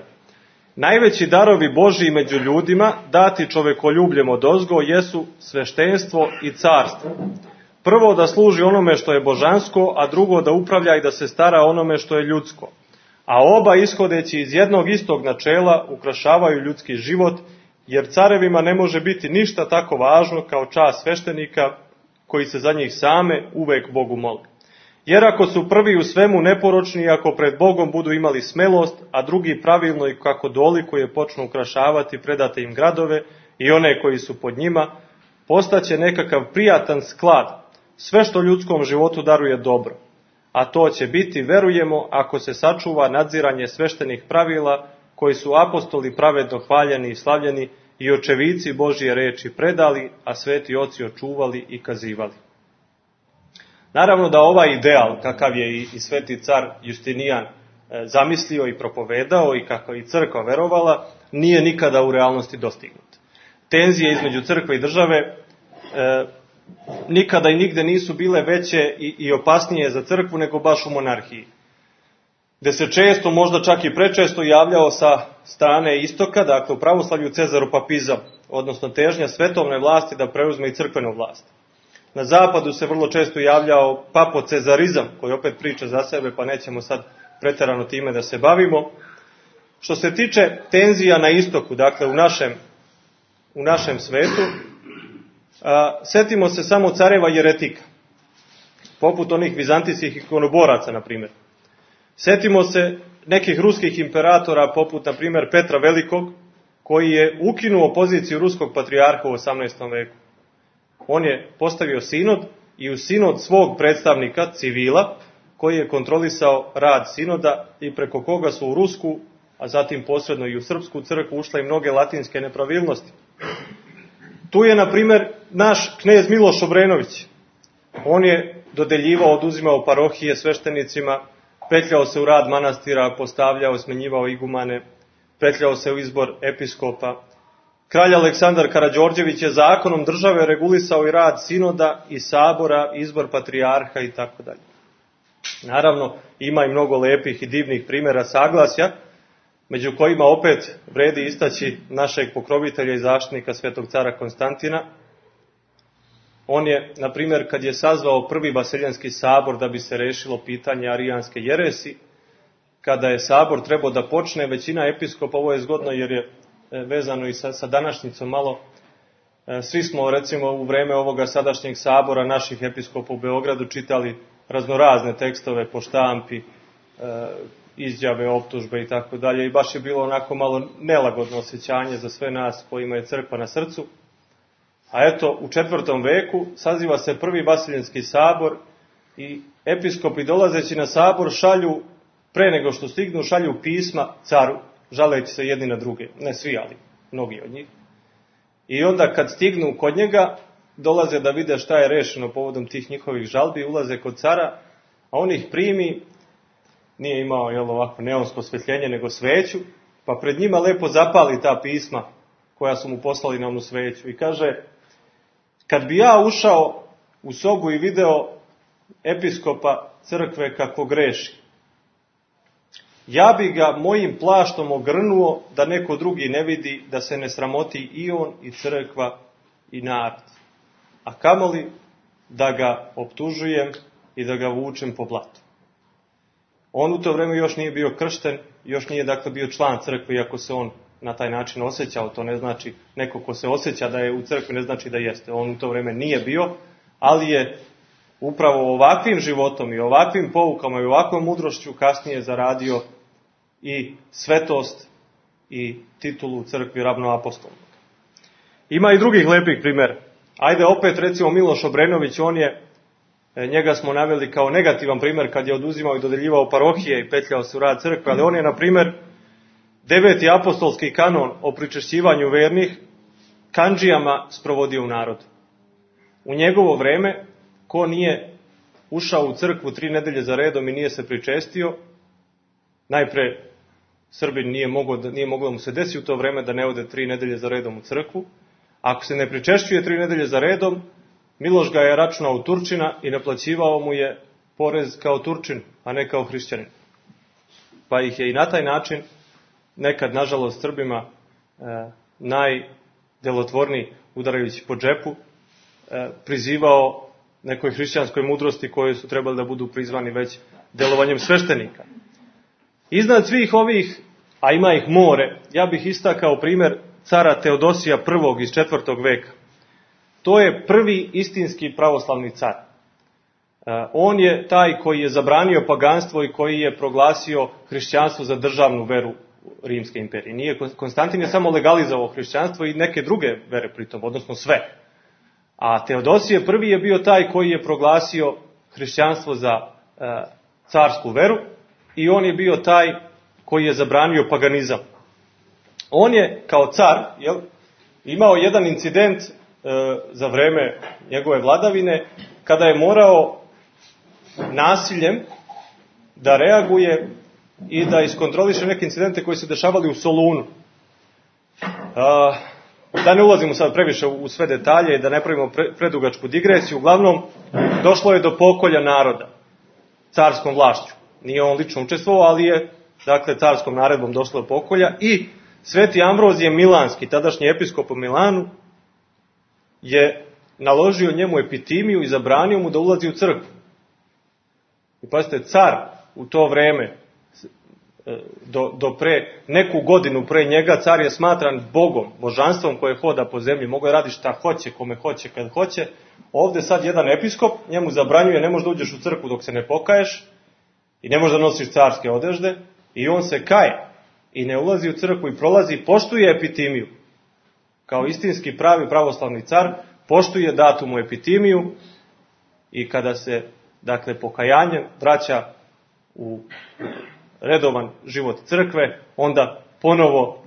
najveći darovi Božiji među ljudima, dati čovekoljubljem odozgo, jesu sveštenstvo i carstvo. Prvo da služi onome što je božansko, a drugo da upravlja i da se stara onome što je ljudsko. A oba, ishodeći iz jednog istog načela, ukrašavaju ljudski život, jer carevima ne može biti ništa tako važno kao čast sveštenika, koji se za njih same uvek Bogu mole. Jer ako su prvi u svemu neporočni, ako pred Bogom budu imali smelost, a drugi pravilno i kako dolikuje počnu ukrašavati predate im gradove i one koji su pod njima, postaće nekakav prijatan sklad, sve što ljudskom životu daruje dobro. A to će biti, verujemo, ako se sačuva nadziranje sveštenih pravila, koji su apostoli pravedno hvaljeni i slavljeni i očevici Božje reči predali, a sveti oci očuvali i kazivali. Naravno da ovaj ideal, kakav je i sveti car Justinijan zamislio i propovedao i kako i crkva verovala, nije nikada u realnosti dostignut. Tenzije između crkve i države nikada i nigde nisu bile veće i opasnije za crkvu nego baš u monarhiji, gde se često, možda čak i prečesto javljao sa strane istoka, dakle u pravoslavlju, cezaropapizam, odnosno težnja svetovne vlasti da preuzme i crkvenu vlast. Na zapadu se vrlo često javljao papocezarizam, koji opet priča za sebe, pa nećemo sad preterano time da se bavimo. Što se tiče tenzija na istoku, dakle u našem svetu, setimo se samo careva jeretika, poput onih vizantijskih ikonoboraca, na primjer. Setimo se nekih ruskih imperatora, poput, na primjer, Petra Velikog, koji je ukinuo poziciju ruskog patrijarha u 18. veku. On je postavio sinod i u sinod svog predstavnika, civila, koji je kontrolisao rad sinoda i preko koga su u rusku, a zatim posredno i u srpsku crkvu ušle i mnoge latinske nepravilnosti. Tu je, na primjer, naš knez Miloš Obrenović. On je dodeljivao, oduzimao parohije sveštenicima, petljao se u rad manastira, postavljao, smenjivao igumane, petljao se u izbor episkopa. Kralj Aleksandar Karađorđević je zakonom države regulisao i rad sinoda i sabora, izbor patrijarha i tako dalje. Naravno, ima i mnogo lepih i divnih primjera saglasja, među kojima opet vredi istaći našeg pokrovitelja i zaštitnika svetog cara Konstantina. On je, na primjer, kad je sazvao prvi Vaseljenski sabor da bi se rešilo pitanje arijanske jeresi, kada je sabor trebao da počne, većina episkopa, ovo je zgodno jer je vezano i sa današnjicom malo, svi smo recimo u vreme ovoga sadašnjeg sabora naših episkopa u Beogradu čitali raznorazne tekstove po štampi, izjave, optužbe i tako dalje, i baš je bilo onako malo nelagodno osjećanje za sve nas kojima je crkva na srcu. A eto, u 4. veku saziva se prvi Vaseljenski sabor i episkopi dolazeći na sabor šalju, pre nego što stignu, šalju pisma caru, žaleći se jedni na druge, ne svi, ali mnogi od njih. I onda kad stignu kod njega, dolaze da vide šta je rešeno povodom tih njihovih žalbi, ulaze kod cara, a on ih primi, nije imao ovako neonsko osvetljenje, nego sveću, pa pred njima lepo zapali ta pisma koja su mu poslali na onu sveću i kaže: kad bi ja ušao u sobu i video episkopa crkve kako greši, ja bi ga mojim plaštom ogrnuo da neko drugi ne vidi, da se ne sramoti i on, i crkva, i narod. A kamoli da ga optužujem i da ga vučem po blatu. On u to vreme još nije bio kršten, još nije dakle bio član crkve, iako se on na taj način osjećao. To ne znači, neko ko se osjeća da je u crkvi ne znači da jeste. On u to vreme nije bio, ali je upravo ovakvim životom i ovakvim poukama i ovakvom mudrošću kasnije zaradio i svetost i titulu u crkvi ravnoapostolnog. Ima i drugih lepih primjera. Ajde opet recimo Miloš Obrenović, njega smo naveli kao negativan primjer kad je oduzimao i dodeljivao parohije i petljao se u rad crkve, ali on je na primjer 9. apostolski kanon o pričešćivanju vernih kandžijama sprovodio u narodu. U njegovo vreme, ko nije ušao u crkvu 3 nedelje za redom i nije se pričestio, najpre Srbin nije moglo da mu se desi u to vreme da ne ode 3 nedelje za redom u crkvu. Ako se ne pričešćuje 3 nedelje za redom, Miloš ga je računao u Turčina i naplaćivao mu je porez kao Turčin, a ne kao hrišćanin. Pa ih je i na taj način, nekad nažalost Srbima najdelotvorniji, udarajući po džepu, prizivao nekoj hrišćanskoj mudrosti koje su trebali da budu prizvani već delovanjem sveštenika. Iznad svih ovih, a ima ih more, ja bih istakao primjer cara Teodosija I iz 4. veka. To je prvi istinski pravoslavni car. On je taj koji je zabranio paganstvo i koji je proglasio hrišćanstvo za državnu veru Rimske imperije. Konstantin je samo legalizovao hrišćanstvo i neke druge vere pritom, odnosno sve. A Teodosije I je bio taj koji je proglasio hrišćanstvo za carsku veru i on je bio taj koji je zabranio paganizam. On je kao car imao jedan incident za vreme njegove vladavine kada je morao nasiljem da reaguje i da iskontroliše neke incidente koji se dešavali u Solunu. Da ne ulazimo sad previše u sve detalje i da ne pravimo predugačku digresiju, uglavnom došlo je do pokolja naroda carskom vlašću. Nije on lično učestvovao, ali je dakle carskom naredbom došlo do pokolja i Sveti Ambrozije Milanski, tadašnji episkop u Milanu, je naložio njemu epitimiju i zabranio mu da ulazi u crkvu. I pazite, car u to vreme, do pre neku godinu pre njega, car je smatran bogom, božanstvom koje hoda po zemlji, mogo je raditi šta hoće, kome hoće, kad hoće. Ovde sad jedan episkop njemu zabranjuje, ne možeš da uđeš u crkvu dok se ne pokaješ i ne možeš da nosiš carske odežde, i on se kaje i ne ulazi u crkvu i prolazi, poštuje epitimiju. Kao istinski pravi pravoslavni car, poštuje datumu epitimiju i kada se, dakle, pokajanjem vraća u redovan život crkve, onda ponovo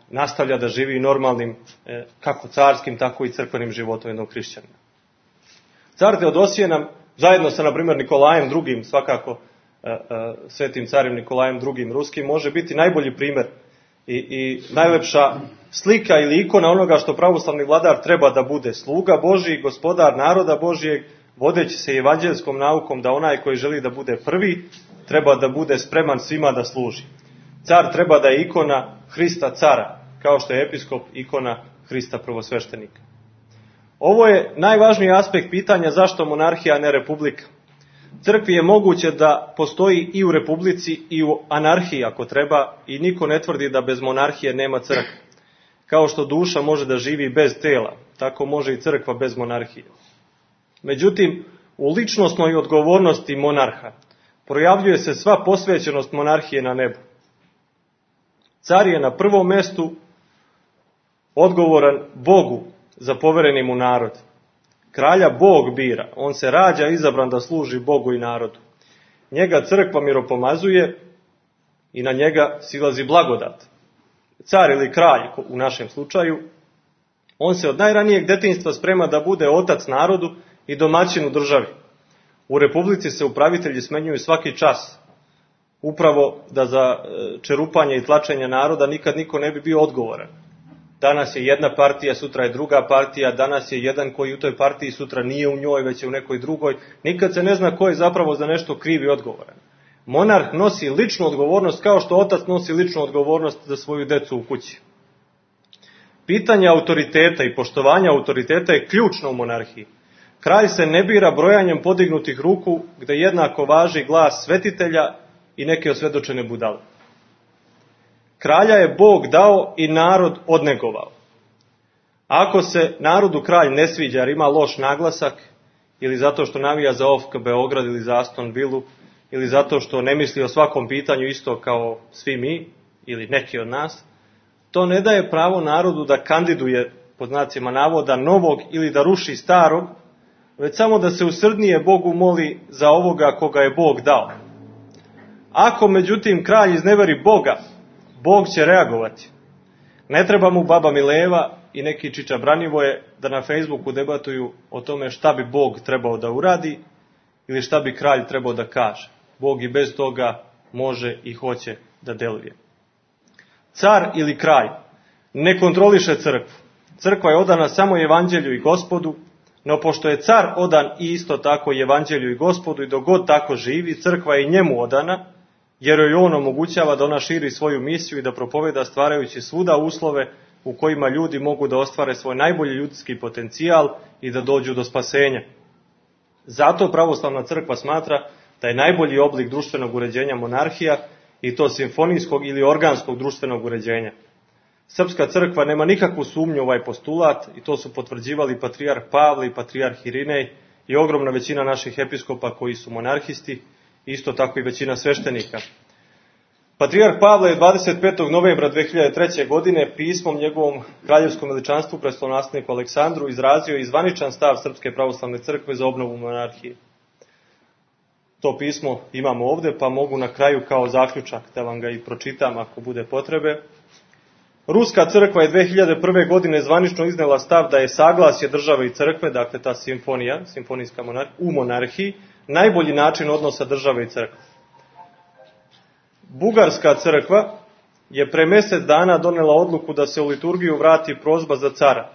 nastavlja da živi normalnim, kako carskim, tako i crkvenim životom jednog hrišćanina. Car Teodosije nam, zajedno sa, na primjer, Nikolajem II, svakako svetim carem Nikolajem II ruskim, može biti najbolji primjer i najlepša slika ili ikona onoga što pravoslavni vladar treba da bude: sluga Božji, gospodar naroda Božijeg, vodeći se evanđeljskom naukom da onaj koji želi da bude prvi treba da bude spreman svima da služi. Car treba da je ikona Hrista cara, kao što je episkop ikona Hrista prvosveštenika. Ovo je najvažniji aspekt pitanja zašto monarhija, a ne republika. Crkvi je moguće da postoji i u republici i u anarhiji ako treba, i niko ne tvrdi da bez monarhije nema crkve. Kao što duša može da živi bez tela, tako može i crkva bez monarhije. Međutim, u ličnosnoj odgovornosti monarha projavljuje se sva posvećenost monarhije na nebu. Car je na prvom mestu odgovoran Bogu za povereni mu narod. Kralja Bog bira, on se rađa izabran da služi Bogu i narodu. Njega crkva miropomazuje i na njega silazi blagodat. Car ili kralj, u našem slučaju, on se od najranijeg detinjstva sprema da bude otac narodu i domaćin u državi. U republici se upravitelji smenjuju svaki čas, upravo da za čerupanje i tlačenje naroda nikad niko ne bi bio odgovoran. Danas je jedna partija, sutra je druga partija, danas je jedan koji u toj partiji, sutra nije u njoj, već je u nekoj drugoj. Nikad se ne zna ko je zapravo za nešto kriv i odgovoran. Monarh nosi ličnu odgovornost kao što otac nosi ličnu odgovornost za svoju decu u kući. Pitanje autoriteta i poštovanja autoriteta je ključno u monarhiji. Kralj se ne bira brojanjem podignutih ruku, gde jednako važi glas svetitelja i neke osvedočene budale. Kralja je Bog dao i narod odnegovao. Ako se narodu kralj ne sviđa jer ima loš naglasak, ili zato što navija za OFK Beograd ili za Aston Villu, ili zato što ne misli o svakom pitanju isto kao svi mi, ili neki od nas, to ne daje pravo narodu da kandiduje, pod znacima navoda, novog ili da ruši starog, već samo da se usrdnije Bogu moli za ovoga koga je Bog dao. Ako, međutim, kralj izneveri Boga, Bog će reagovati. Ne treba mu baba Mileva i neki Čiča Branivoje da na Facebooku debatuju o tome šta bi Bog trebao da uradi ili šta bi kralj trebao da kaže. Bog i bez toga može i hoće da deluje. Car ili kralj ne kontroliše crkvu. Crkva je odana samo evanđelju i Gospodu, no pošto je car odan i isto tako evanđelju i Gospodu i dok god tako živi, crkva je i njemu odana, jer joj on omogućava da ona širi svoju misiju i da propoveda stvarajući svuda uslove u kojima ljudi mogu da ostvare svoj najbolji ljudski potencijal i da dođu do spasenja. Zato pravoslavna crkva smatra da je najbolji oblik društvenog uređenja monarhija, i to simfonijskog ili organskog društvenog uređenja. Srpska crkva nema nikakvu sumnju u ovaj postulat i to su potvrđivali patrijarh Pavle i patrijarh Irinej i ogromna većina naših episkopa koji su monarhisti, isto tako i većina sveštenika. Patrijarh Pavle je 25. novembra 2003. godine pismom njegovom kraljevskom veličanstvu prestolonasledniku Aleksandru izrazio i zvaničan stav Srpske pravoslavne crkve za obnovu monarhije. To pismo imamo ovde, pa mogu na kraju kao zaključak da vam ga i pročitam ako bude potrebe. Ruska crkva je 2001. godine zvanično iznela stav da je saglasje države i crkve, dakle ta simfonijska monarhija, u monarhiji, najbolji način odnosa države i crkve. Bugarska crkva je pre mjesec dana donela odluku da se u liturgiju vrati prozba za cara.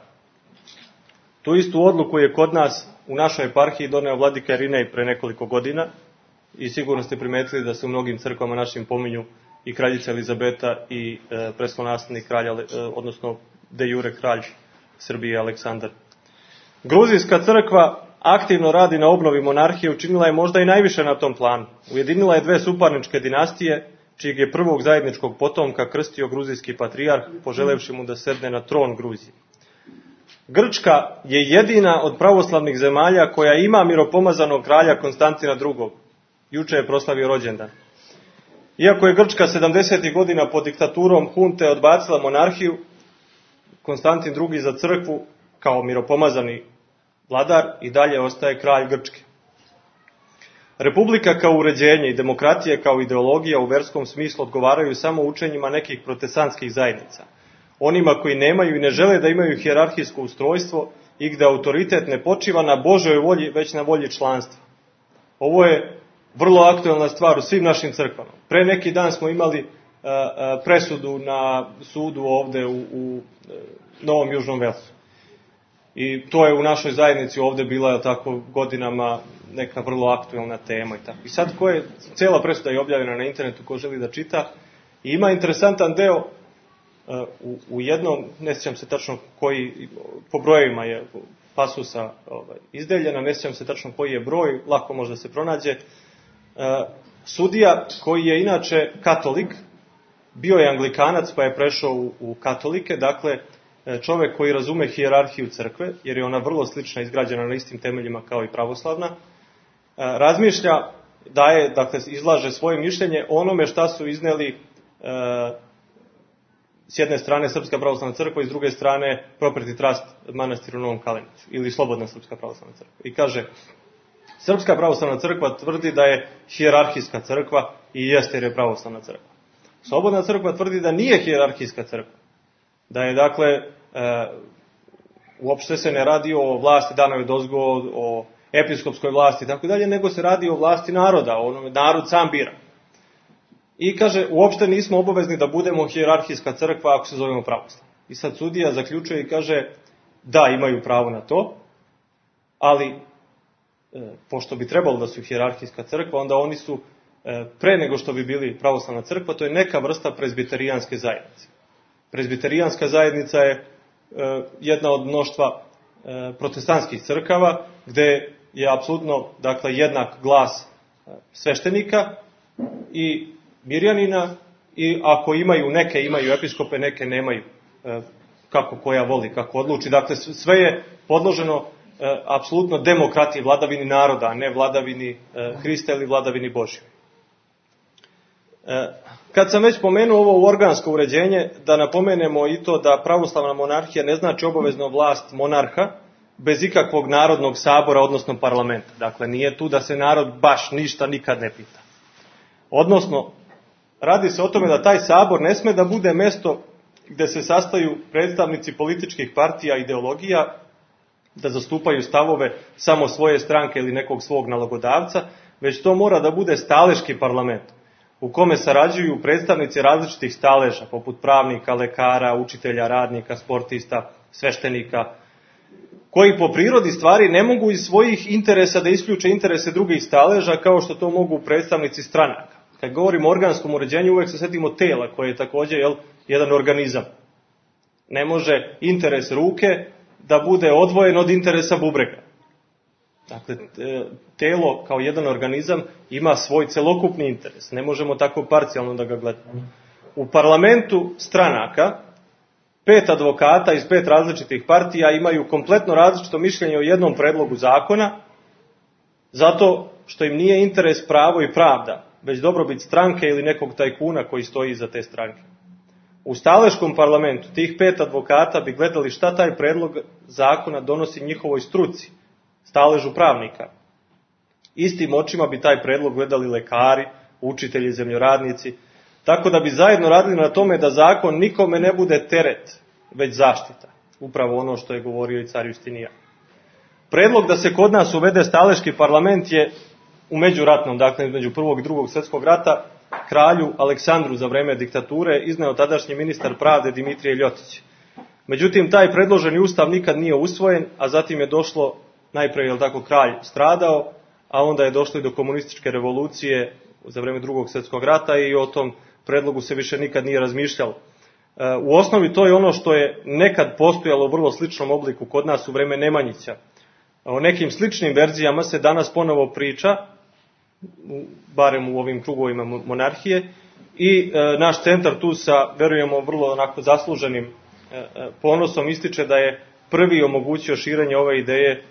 Tu istu odluku je kod nas u našoj eparhiji doneo vladika Irinej pre nekoliko godina i sigurno ste primetili da se u mnogim crkvama našim pominju i kraljica Elizabeta i prestolonaslednik kralja, odnosno de jure kralj Srbije Aleksandar. Gruzijska crkva aktivno radi na obnovi monarhije, učinila je možda i najviše na tom planu. Ujedinila je dve suparničke dinastije, čijeg je prvog zajedničkog potomka krstio gruzijski patrijarh, poželevši mu da sedne na tron Gruzije. Grčka je jedina od pravoslavnih zemalja koja ima miropomazanog kralja Konstantina II. Juče je proslavio rođendan. Iako je Grčka 70. godina pod diktaturom hunte odbacila monarhiju, Konstantin II. Za crkvu, kao miropomazani vladar, i dalje ostaje kralj Grčke. Republika kao uređenje i demokratija kao ideologija u verskom smislu odgovaraju samo učenjima nekih protestantskih zajednica. Onima koji nemaju i ne žele da imaju hijerarhijsko ustrojstvo i gde autoritet ne počiva na Božoj volji, već na volji članstva. Ovo je vrlo aktuelna stvar u svim našim crkvama. Pre neki dan smo imali presudu na sudu ovde u Novom Južnom Velsu. I to je u našoj zajednici ovde bila tako godinama neka vrlo aktuelna tema i tako. I sad cijela presuda je objavljena na internetu, ko želi da čita. I ima interesantan deo u jednom, ne sjećam se tačno koji, po brojevima je pasusa izdeljena, ne sjećam se tačno koji je broj, lako može da se pronađe. Sudija koji je inače katolik, bio je anglikanac pa je prešao u katolike, dakle čovjek koji razume hijerarhiju crkve, jer je ona vrlo slična, izgrađena na istim temeljima kao i pravoslavna, razmišlja, dakle izlaže svoje mišljenje onome šta su izneli s jedne strane Srpska pravoslavna crkva i s druge strane Property Trust manastir u Novom Kaleniću ili Slobodna Srpska pravoslavna crkva. I kaže, Srpska pravoslavna crkva tvrdi da je hijerarhijska crkva i jeste jer je pravoslavna crkva. Slobodna crkva tvrdi da nije hijerarhijska crkva. Da je, dakle, uopšte se ne radi o vlasti danoj odozgo, o episkopskoj vlasti i tako dalje, nego se radi o vlasti naroda, onome narod sam bira. I kaže, uopšte nismo obavezni da budemo hijerarhijska crkva ako se zovemo pravoslavna. I sad sudija zaključuje i kaže, da, imaju pravo na to, ali pošto bi trebalo da su hijerarhijska crkva, onda oni su, pre nego što bi bili pravoslavna crkva, to je neka vrsta prezbiterijanske zajednice. Prezbiterijanska zajednica je jedna od mnoštva protestantskih crkava, gde je apsolutno, dakle, jednak glas sveštenika i mirjanina, i ako neke imaju episkope, neke nemaju, kako koja voli, kako odluči. Dakle, sve je podloženo apsolutno demokratiji, vladavini naroda, a ne vladavini Hrista ili vladavini Božjoj. Kad sam već pomenuo ovo organsko uređenje, da napomenemo i to da pravoslavna monarhija ne znači obavezno vlast monarha bez ikakvog narodnog sabora, odnosno parlamenta. Dakle, nije tu da se narod baš ništa nikad ne pita. Odnosno, radi se o tome da taj sabor ne sme da bude mesto gde se sastaju predstavnici političkih partija i ideologija, da zastupaju stavove samo svoje stranke ili nekog svog nalogodavca, već to mora da bude staleški parlament, u kome sarađuju predstavnici različitih staleža, poput pravnika, lekara, učitelja, radnika, sportista, sveštenika, koji po prirodi stvari ne mogu iz svojih interesa da isključe interese drugih staleža, kao što to mogu predstavnici stranaka. Kad govorimo o organskom uređenju, uvek se setimo tela, koje je također jedan organizam. Ne može interes ruke da bude odvojen od interesa bubrega. Dakle, telo kao jedan organizam ima svoj celokupni interes. Ne možemo tako parcijalno da ga gledamo. U parlamentu stranaka 5 advokata iz 5 različitih partija imaju kompletno različito mišljenje o jednom predlogu zakona, zato što im nije interes pravo i pravda, već dobrobit stranke ili nekog tajkuna koji stoji iza te stranke. U staleškom parlamentu tih 5 advokata bi gledali šta taj predlog zakona donosi njihovoj struci, staležu pravnika. Istim očima bi taj predlog gledali lekari, učitelji, zemljoradnici, tako da bi zajedno radili na tome da zakon nikome ne bude teret, već zaštita. Upravo ono što je govorio i car Justinijan. Predlog da se kod nas uvede staleški parlament je u međuratnom, dakle između prvog i drugog svjetskog rata, kralju Aleksandru za vreme diktature izneo tadašnji ministar pravde Dimitrije Ljotić. Međutim, taj predloženi ustav nikad nije usvojen, a zatim je došlo, najprije, kralj stradao, a onda je došlo i do komunističke revolucije za vreme drugog svjetskog rata i o tom predlogu se više nikad nije razmišljalo. U osnovi to je ono što je nekad postojalo u vrlo sličnom obliku kod nas u vreme Nemanjića. O nekim sličnim verzijama se danas ponovo priča, barem u ovim krugovima monarhije, i naš centar tu sa, verujemo, vrlo onako zasluženim ponosom ističe da je prvi omogućio širenje ove ideje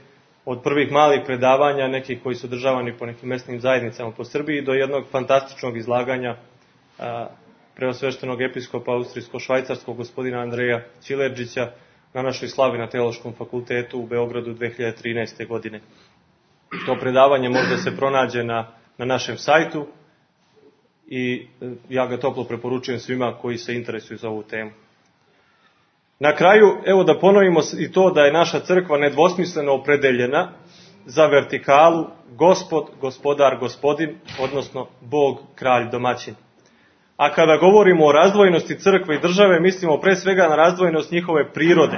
od prvih malih predavanja, nekih koji su održavani po nekim mesnim zajednicama po Srbiji, do jednog fantastičnog izlaganja preosveštenog episkopa austrijsko-švajcarskog gospodina Andreja Čilerđića na našoj slavi na Teološkom fakultetu u Beogradu 2013. godine. To predavanje možda se pronađe na našem sajtu i ja ga toplo preporučujem svima koji se interesuju za ovu temu. Na kraju, evo da ponovimo i to da je naša crkva nedvosmisleno opredeljena za vertikalu Gospod, Gospodar, Gospodin, odnosno Bog, Kralj, Domaćin. A kada govorimo o razdvojenosti crkve i države, mislimo pre svega na razdvojenost njihove prirode,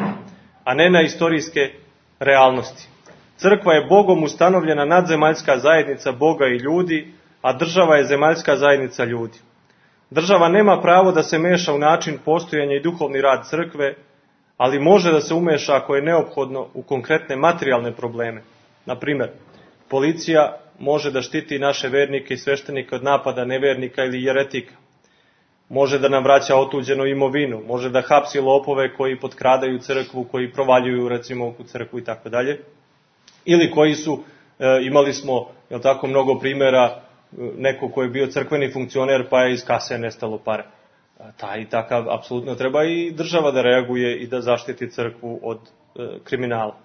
a ne na istorijske realnosti. Crkva je Bogom ustanovljena nadzemaljska zajednica Boga i ljudi, a država je zemaljska zajednica ljudi. Država nema pravo da se meša u način postojanja i duhovni rad crkve, ali može da se umeša ako je neophodno u konkretne materijalne probleme. Na primjer, policija može da štiti naše vernike i sveštenike od napada nevernika ili jeretika. Može da nam vraća otuđenu imovinu, može da hapsi lopove koji potkradaju crkvu, koji provaljuju recimo u crkvu i tako dalje. Ili koji su, imali smo mnogo primjera, neko ko je bio crkveni funkcioner pa je iz kase nestalo pare. Taj takav apsolutno treba i država da reaguje i da zaštiti crkvu od kriminala.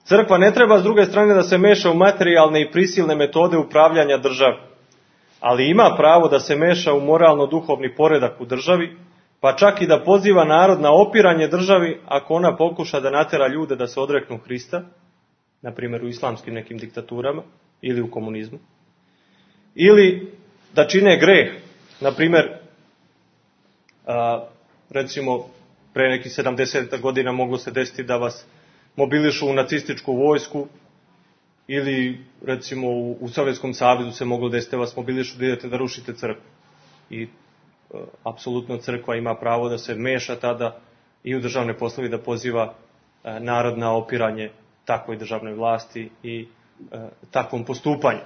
Crkva ne treba s druge strane da se meša u materijalne i prisilne metode upravljanja države, ali ima pravo da se meša u moralno-duhovni poredak u državi, pa čak i da poziva narod na opiranje državi ako ona pokuša da natera ljude da se odreknu Hrista, na primjer u islamskim nekim diktaturama ili u komunizmu, ili da čine greh. Na primjer, recimo, pre nekih 70 godina moglo se desiti da vas mobilišu u nacističku vojsku, ili recimo u Sovjetskom savezu se moglo desiti da vas mobilišu da idete da rušite crkvu. I apsolutno crkva ima pravo da se meša tada i u državne poslove, da poziva narod na opiranje takvoj državnoj vlasti i takvom postupanju.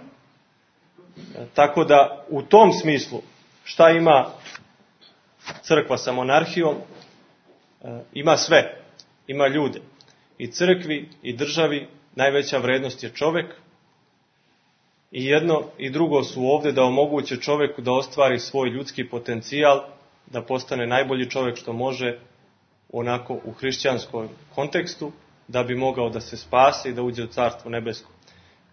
Tako da u tom smislu šta ima crkva sa monarhijom? Ima sve, ima ljude. I crkvi i državi najveća vrednost je čovek, i jedno i drugo su ovdje da omoguće čoveku da ostvari svoj ljudski potencijal, da postane najbolji čovek što može onako u hrišćanskom kontekstu, da bi mogao da se spase i da uđe u Carstvo nebesko.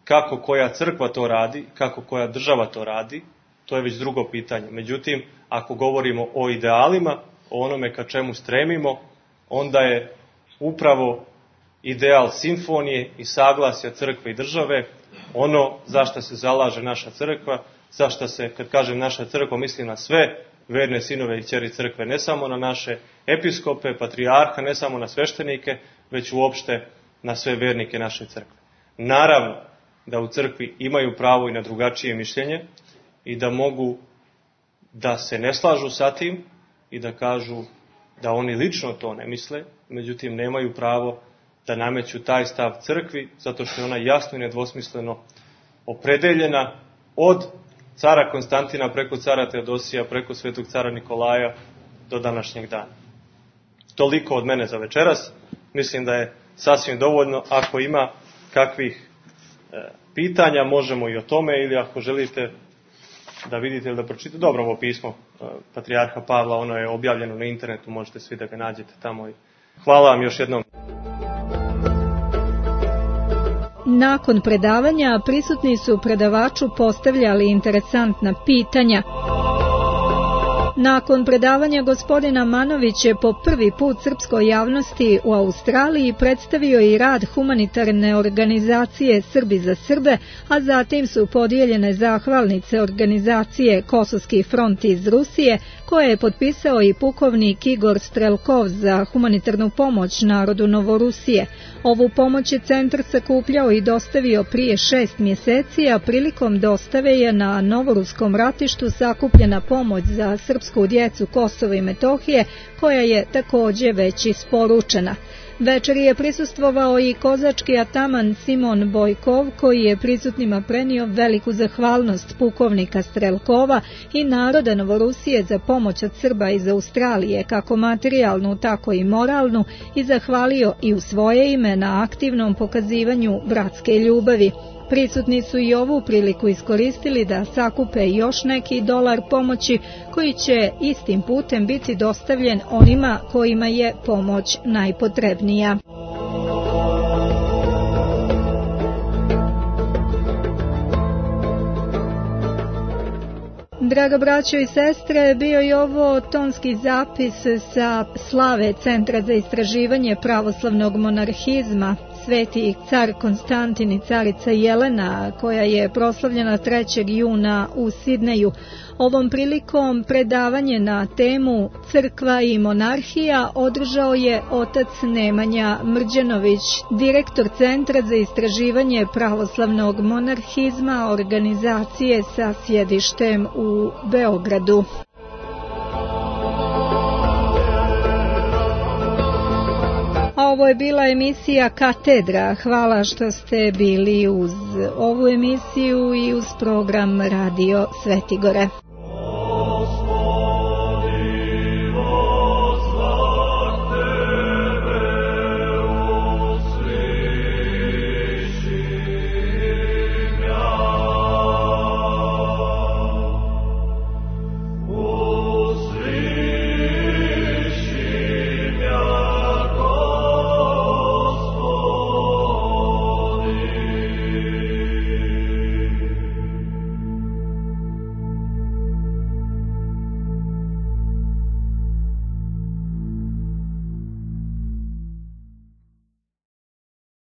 Kako koja crkva to radi, kako koja država to radi, to je već drugo pitanje. Međutim, ako govorimo o idealima, o onome ka čemu stremimo, onda je upravo ideal simfonije i saglasja crkve i države ono za što se zalaže naša crkva, za što se, kad kažem naša crkva, mislim na sve verne sinove i kćeri crkve, ne samo na naše episkope, patrijarha, ne samo na sveštenike, već uopšte na sve vernike naše crkve. Naravno da u crkvi imaju pravo i na drugačije mišljenje i da mogu da se ne slažu sa tim i da kažu da oni lično to ne misle, međutim nemaju pravo da nameću taj stav crkvi, zato što je ona jasno i nedvosmisleno opredeljena od cara Konstantina preko cara Teodosija, preko svetog cara Nikolaja do današnjeg dana. Toliko od mene za večeras. Mislim da je sasvim dovoljno. Ako ima kakvih pitanja, možemo i o tome, ili ako želite da vidite ili da pročitate. Dobro, ovo pismo patrijarha Pavla, ono je objavljeno na internetu, možete svi da ga nađete tamo. Hvala vam još jednom. Nakon predavanja prisutni su predavaču postavljali interesantna pitanja. Nakon predavanja gospodina Manović je po prvi put srpskoj javnosti u Australiji predstavio i rad humanitarne organizacije Srbi za Srbe, a zatim su podijeljene zahvalnice organizacije Kosovski front iz Rusije, koje je potpisao i pukovnik Igor Strelkov za humanitarnu pomoć narodu Novorusije. Ovu pomoć je centar sakupljao i dostavio prije 6 mjeseci, a prilikom dostave je na novoruskom ratištu sakupljena pomoć za srpsku djecu Kosova i Metohije, koja je također već isporučena. Večeri je prisustvovao i kozački ataman Simon Bojkov, koji je prisutnima prenio veliku zahvalnost pukovnika Strelkova i naroda Novorusije za pomoć od Srba iz Australije, kako materijalnu, tako i moralnu, i zahvalio i u svoje ime na aktivnom pokazivanju bratske ljubavi. Prisutni su i ovu priliku iskoristili da sakupe još neki dolar pomoći, koji će istim putem biti dostavljen onima kojima je pomoć najpotrebnija. Draga braćo i sestre, bio je ovo tonski zapis sa slave Centra za istraživanje pravoslavnog monarhizma sveti car Konstantin i carica Jelena, koja je proslavljena 3. juna u Sidneju. Ovom prilikom predavanje na temu Crkva i monarhija održao je otac Nemanja Mrđanović, direktor Centra za istraživanje pravoslavnog monarhizma, organizacije sa sjedištem u Beogradu. Ovo je bila emisija Katedra. Hvala što ste bili uz ovu emisiju i uz program Radio Svetigore.